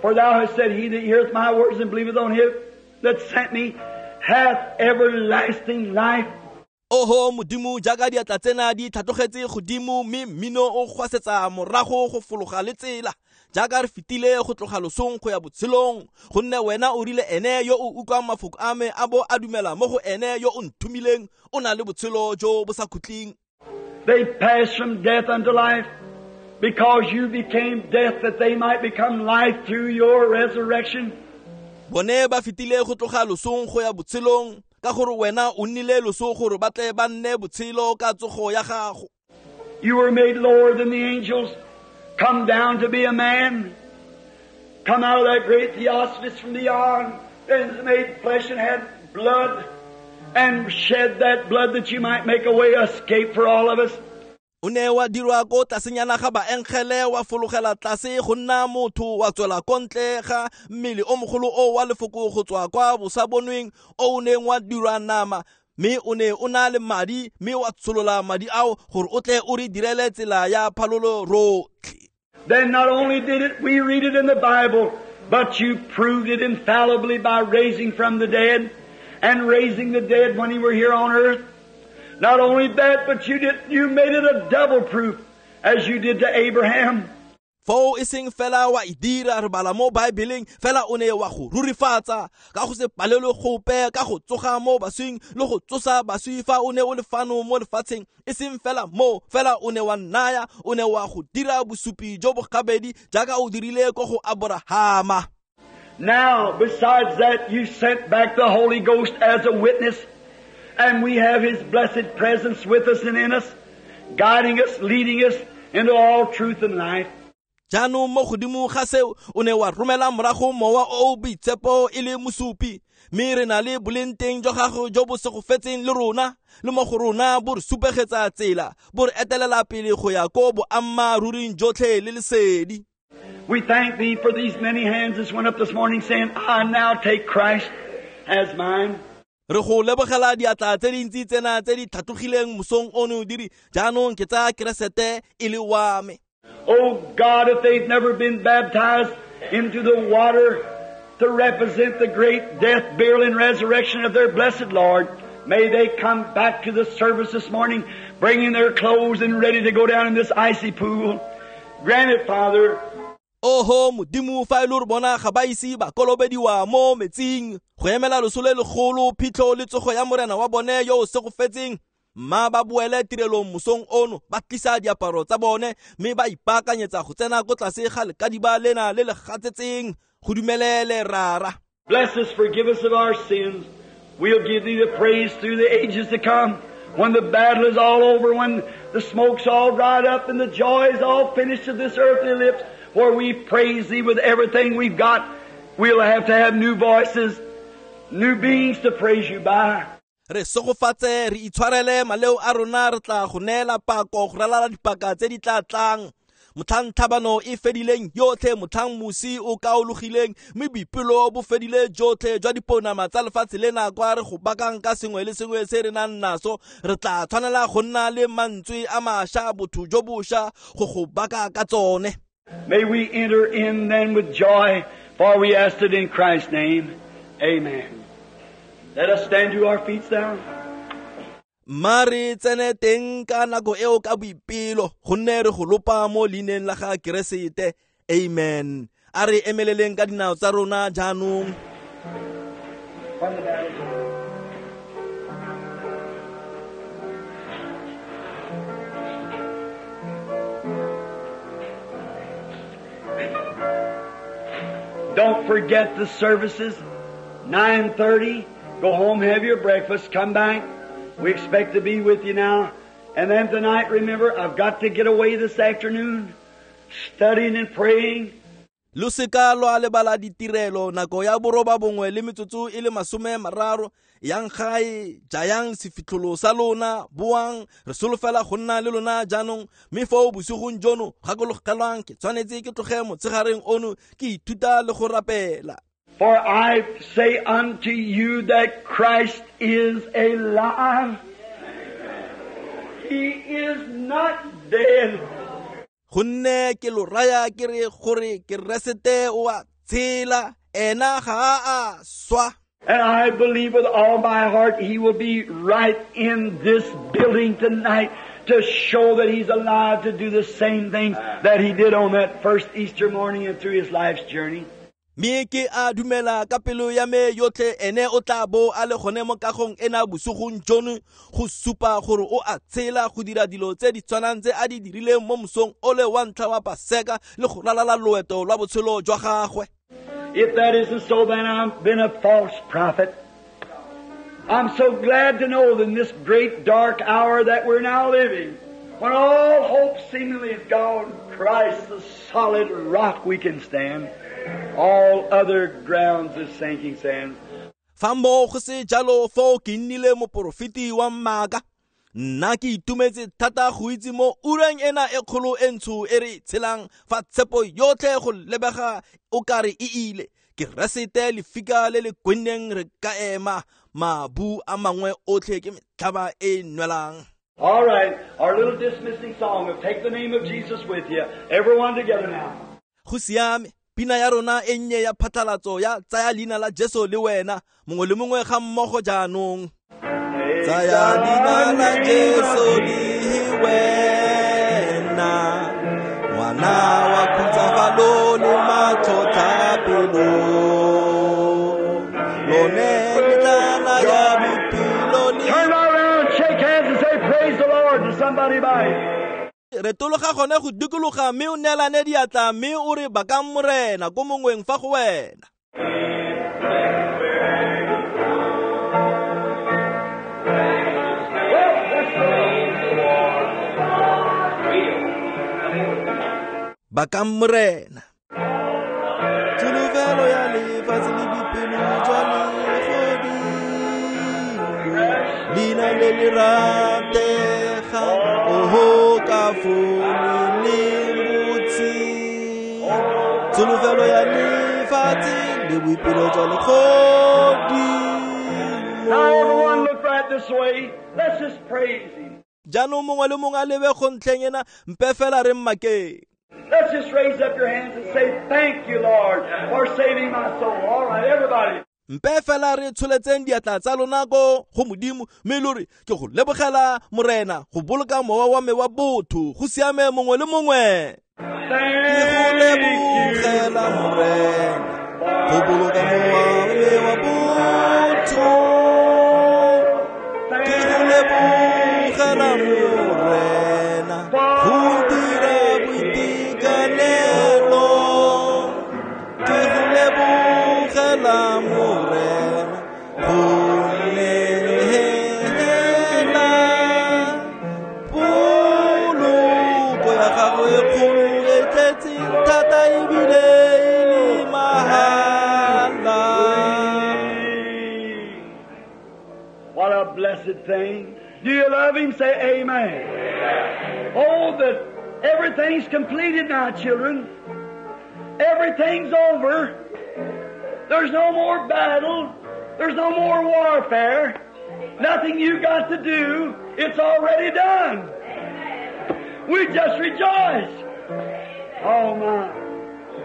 for thou hast said, he that heareth my words and believeth on him that sent me hath everlasting life. Oho Modimo, jaaka diatla tsena di tlhatlogetse godimo mme mmino o gwasetsa morago go fologa le tsela, jaaka re fetile go tloga losong go ya botshelong, gonne wena o rile ene yo o utlwang mafoko a me a bo a dumela mo go ene yo o nthomileng o na le botshelo jo bo sa khutleng. They passed from death unto life because you became death that they might become life through your resurrection. Bone ba fetile go tloga losong go ya botshelong ka gore wena o nnile loso gore ba tle ba nne botshelo ka tsogo ya gago. You were made lower than the angels, come down to be a man, come out of that great theophany from beyond, and made flesh and had blood, and shed that blood that you might make a way of escape for all of us. O ne wa dirwa ko tlasenyana ga baengele, wa fologela tlase go nna motho, wa tswela ko ntle ga mmele o mogolo o wa lefoko go tswa kwa bosabonweng o o neng wa dirwa nama, mme o ne o na le madi, mme wa tsholola madi ao gore o tle o re direle tsela ya phalolo rotlhe. Then not only did it, we read it in the Bible, but you proved it infallibly by raising from the dead and raising the dead when you were here on earth. Not only that, but you did, you made it a double proof as you did to Abraham. Foo e seng fela wa e dira re bala mo Baebeleng, fela o ne wa go rurifatsa ka go se palelwe gope ka go tsoga mo baswing le go tsosa baswi fa o ne o le fano mo lefatsheng. E seng fela mo, fela o ne wa nnaya, o ne wa go dira bosupi jo bo gabedi jaaka o dirile ko go Aborahama. Now, besides that, you sent back the Holy Ghost as a witness, and we have His blessed presence with us and in us, guiding us, leading us into all truth and life. Jaanong mo godimo ga seo, o ne wa romela morago mowa o o boitshepo e le mosupi, mme re na le boleng teng jwa gago jo bo segofetseng le rona, le mo go rona bo re supegetsa tsela, bo re etelela pele go ya ko boammaaruring jotlhe le lesedi. We thank Thee for these many hands that went up this morning saying, I now take Christ as mine. Re go lebogela diatla tse dintsi tsena tse di tlhatlogileng mosong ono di re, jaanong ke tsaya Keresete e le wa me. Oh God, if they've never been baptized into the water to represent the great death, burial, and resurrection of their blessed Lord, may they come back to the service this morning, bringing their clothes and ready to go down in this icy pool. Grant it, Father. Oho Modimo, fa e le gore bona ga ba ise ba kolobediwa mo metsing go emela loso le legolo, phitlho le tsogo ya Morena wa bone yo o segofetseng, mma ba boele tirelong mosong ono, ba tlisa diaparo tsa bone mme ba ipaakanyetsa go tsena ko tlase ga lekadiba lena le le gatsetseng. Go dumelele, Rara. Bless us, forgive us of our sins. We'll give Thee the praise through the ages to come. When the battle is all over, when the smoke's all dried up and the joy is all finished of this earthly lips, where we praise Thee with everything we've got, we'll have to have new voices, new beings to praise You by. Re segofatse, re itshwarele maleo a rona, re tla go neela pako go ralala dipaka tse di tla tlang. Motlhang tlhabano e fedileng yotlhe, motlhang mosi o kaologileng, mme boipelo bo fedile jotlhe jwa dipounama tsa lefatshe lena kwa re go bakang ka sengwe le sengwe se re nang naso, re tla tshwanela go nna le mantswe a mašwa, botho jo bošwa go go baka ka tsone. May we enter in then with joy, for we ask it in Christ's name. Amen. Let us stand to our feet now. Mma re tsene teng ka nako eo ka boipelo, gonne re go lopa mo leineng la ga Keresete. Amen. A re emeleleng ka dinao tsa rona jaanong. Don't forget the services, nine thirty. Go home, have your breakfast, come back. We expect to be with you now. And then tonight, remember, I've got to get away this afternoon, studying and praying. Lo seka lwa lebala ditirelo nako ya boroba bongwe le metsotso e le masome mararo. Yang gae, jayang sefitlholo sa lona, boang, re solofela go nna le lona jaanong. Mme foo bosigong jono, gakologelwang, ke tshwanetse ke tloge motshegareng ono ke ithuta le go rapela. For I say unto you that Christ is alive. He is not dead. Gonne ke lo raya ke re gore Keresete o a tshela, ena ga a swa. And I believe with all my heart He will be right in this building tonight to show that He's alive to do the same things that He did on that first Easter morning and through His life's journey. Mme ke a dumela ka pelo ya me yotlhe ene o tla bo a le gone mo kagong ena bosigong jono go supa gore o a tshela go dira dilo tse di tshwanang tse a di dirileng mo mosong o le wa ntlha wa Paseka le go ralala loeto lwa botshelo jwa gagwe. If that isn't so, then I've been a false prophet. I'm so glad to know that in this great dark hour that we're now living, when all hope seemingly is gone, Christ, the solid rock we can stand. All other grounds is sinking sand. Fa mo go se jalo foo ke nnile moporofeti wa maaka. Nna ke itumetse thata go itse mo ureng ena e kgolo e ntsho e re tshelang fa tshepo yotlhe go lebega o kare e ile. Keresete lefika le le kwenneng re ka ema mabu a mangwe otlhe ke metlhaba e nwelang. All right, our little dismissing song of Take the Name of Jesus with you. Everyone together now. Go siame. Pina ya rona e nnye ya phatlalatso ya tsaya leina la Jesu le wena mongwe le mongwe ga mmogo jaanong. Tsaya leina la Jesu le wena, ngwana wa khutsafalo le matlhotlhapelo, lone le tlala ya bophelo le. Turn around, shake hands and say praise the Lord to somebody by. Re tologa gone go dikologa mme o neelane diatla mme o re bakang Morena ko mongweng fa go wena. Bakang Morena. Tsholofelo ya lefatshe le boipelo jwa legodimo, leina le le rategang, oho ka fo le botse. Tsholofelo ya lefatshe le boipelo jwa legodimo. Now everyone look right this way. Let's just praise Him. Jaanong mongwe le mongwe a lebe go ntlheng ena, mpe fela re mmakeng. Let's just raise up your hands and say, thank you, Lord, for saving my soul. All right, everybody. Mpe fela re tsholetseng diatla tsa lona ko go Modimo mme lo re ke go lebogela Morena go boloka mowa wa me wa botho go siame mongwe le mongwe. Ke go lebogela Morena go boloka mowa wa me wa botho. Ke go lebogela Morena go dira boitekanelo. Ke go lebogela Morena go neela poloko ya gagwe e kgolo e tletseng thata ebile e le mahala. What a blessed thing. Do you love Him? Say amen. Amen. Oh, that everything's completed now, children. Everything's over. There's no more battle. There's no more warfare. Nothing you got to do. It's already done. We just rejoice. Oh my.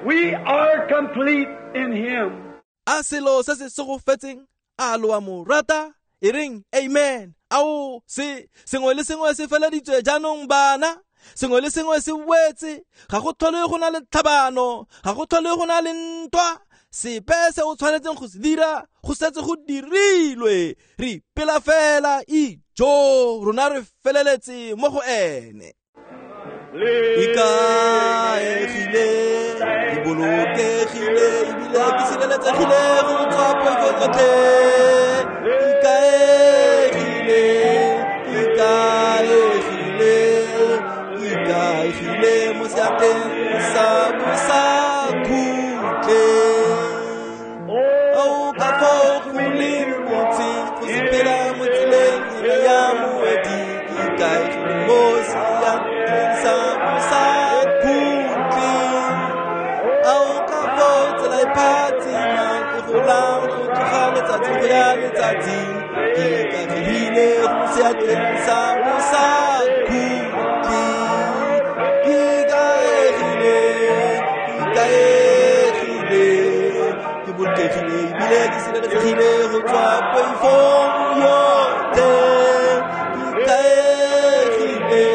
We are complete in Him. A selo se se segofetseng a lo a mo rata e reng amen. Ao se sengwe le sengwe se feleditswe jaanong bana. Sengwe le sengwe se wetse. Ga go tlhole go na le tlhabano, ga go tlhole go na le ntwa. Sepe se o tshwanetseng go se dira go setse go dirilwe. Re ipela fela ijo rona re feleletse mo go ene. Ikaegile, ke bolokegile ebile ke sireletsegile go tswa poifong yotlhe. Ikaegile, ikaegile, ikaegile mo seatleng sa bosakhutleng. Ao ka foo go leng botse go sepela mo tseleng ena ya moedi. Ikaegile mo seatleng sa bosakhutleng. Ao ka foo tsela e phatsimang e golang go tloga letsatsi go ya letsatsing. Ikaegile go seatleng sa bosakhutleng. Ikaegile, ikaegile, ke bolokegile. ebile ke sireletsegile go tswa poifong yotlhe. Ke ikaegile,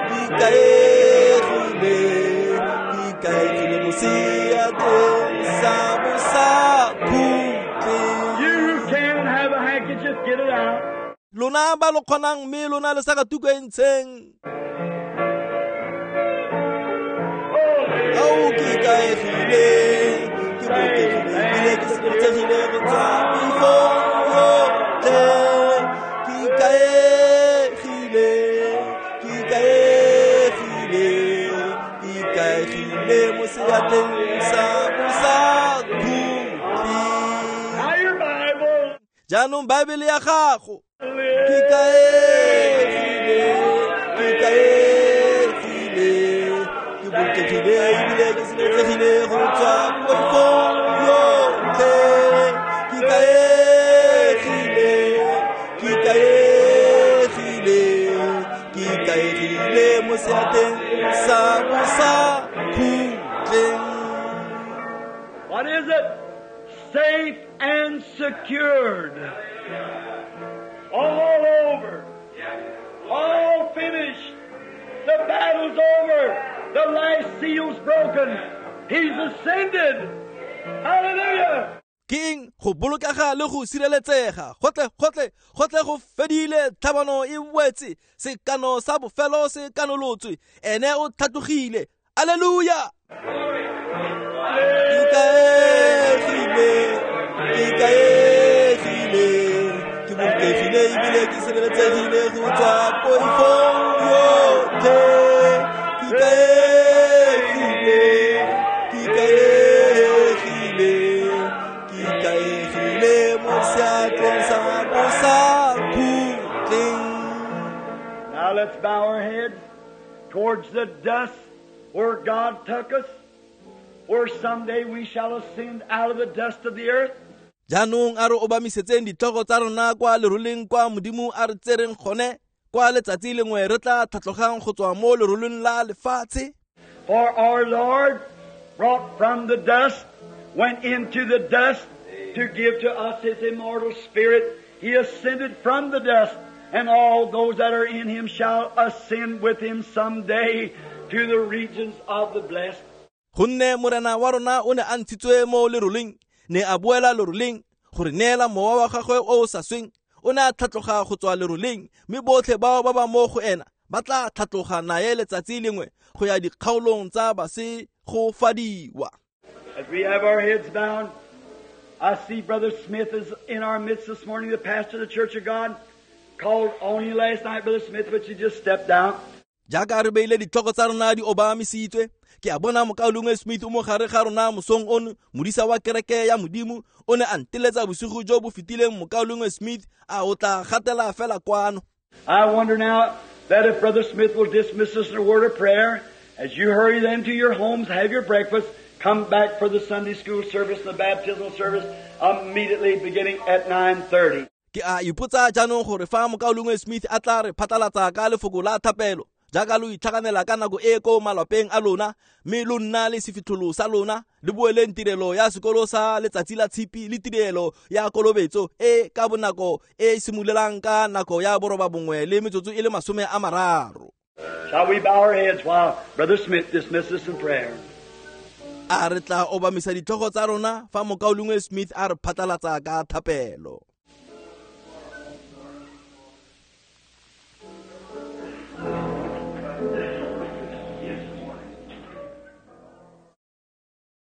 ke ikaegile, ke ikaegile mo seatleng sa bosakhutleng. You can have a handkerchief, get it out. Lona ba lo kgonang mme lona le sakatuku e ntsheng. Ao ke ikaegile, ke bolokegile ebile ke sireletsegile go tswa poifong yotlhe. Ke ikaegile, ke ikaegile, ke ikaegile mo seatleng sa bosakhutleng. Now your Bible. Jaanong Baebele ya gago. Ke ikaegile, ke ikaegile, ke bolokegile ebile ke sireletsegile go tswa poifong yotlhe. Ke ikaegile, ke ikaegile, ke ikaegile mo seatleng sa bosakhutleng. What is it? Safe and secured. All over. All finished. The battle's over. The last seal's broken. He's ascended. Hallelujah. Ke eng go bolokega le go sireletsega? Gotle, gotle, gotle go fedile, tlhabano e wetse, sekano sa bofelo se kanolotswe, ene o tlhatlogile. Alleluia! Ke ikaegile, ke ikaegile, ke bolokegile ebile ke sireletsegile go tswa poifong yotlhe. Ke ikaegile, ke ikaegile, ke ikaegile mo seatleng sa bosakhutleng. Now let's bow our heads towards the dust where God took us, where someday we shall ascend out of the dust of the earth. Jaanong a re obamisetseng ditlhogo tsa rona kwa leroleng kwa Modimo a re tsereng gone, kwa letsatsi lengwe re tla tlhatlogang go tswa mo leroleng la lefatshe. For our Lord, brought from the dust, went into the dust to give to us His immortal spirit. He ascended from the dust, and all those that are in Him shall ascend with Him someday to the regions of the blessed. Gonne Morena wa rona o ne a ntshitswe mo leroleng, ne a boela leroleng gore neela mowa wa gagwe o o sa sweng. O ne a tlhatloga go tswa leroleng, mme botlhe bao ba ba mo go ena ba tla tlhatloga naye letsatsi lengwe go ya dikgaolong tsa basegofadiwa. As we have our heads bowed, I see Brother Smith is in our midst this morning, the pastor of the Church of God. Called on you last night, Brother Smith, but you just stepped out. Jaaka re beile ditlhogo tsa rona di obamisitswe, ke a bona mokaulengwe Smith o mo gare ga rona mosong ono, modisa wa kereke ya Modimo, o ne a nteletsa bosigo jo bo fetileng. Mokaulengwe Smith a o tla gatela fela kwano. I wonder now that if Brother Smith will dismiss us in a word of prayer, as you hurry then to your homes, have your breakfast, come back for the Sunday school service and the baptismal service immediately beginning at nine thirty. Ke a ipotsa jaanong gore fa mokaulengwe Smith a tla re phatlalatsa ka lefoko la thapelo, jaaka lo itlhaganela ka nako e ko malapeng a lona, mme lo nna le sefitlholo sa lona, le boeleng tirelo ya sekolo sa letsatsi la tshipi le tirelo ya kolobetso e ka bonako e simololang ka nako ya boroba bongwe le metsotso e le masome a mararo. Shall we bow our heads while Brother Smith dismisses us in prayer? A re tla obamisa ditlhogo tsa rona fa mokaulengwe Smith a re phatlalatsa ka thapelo.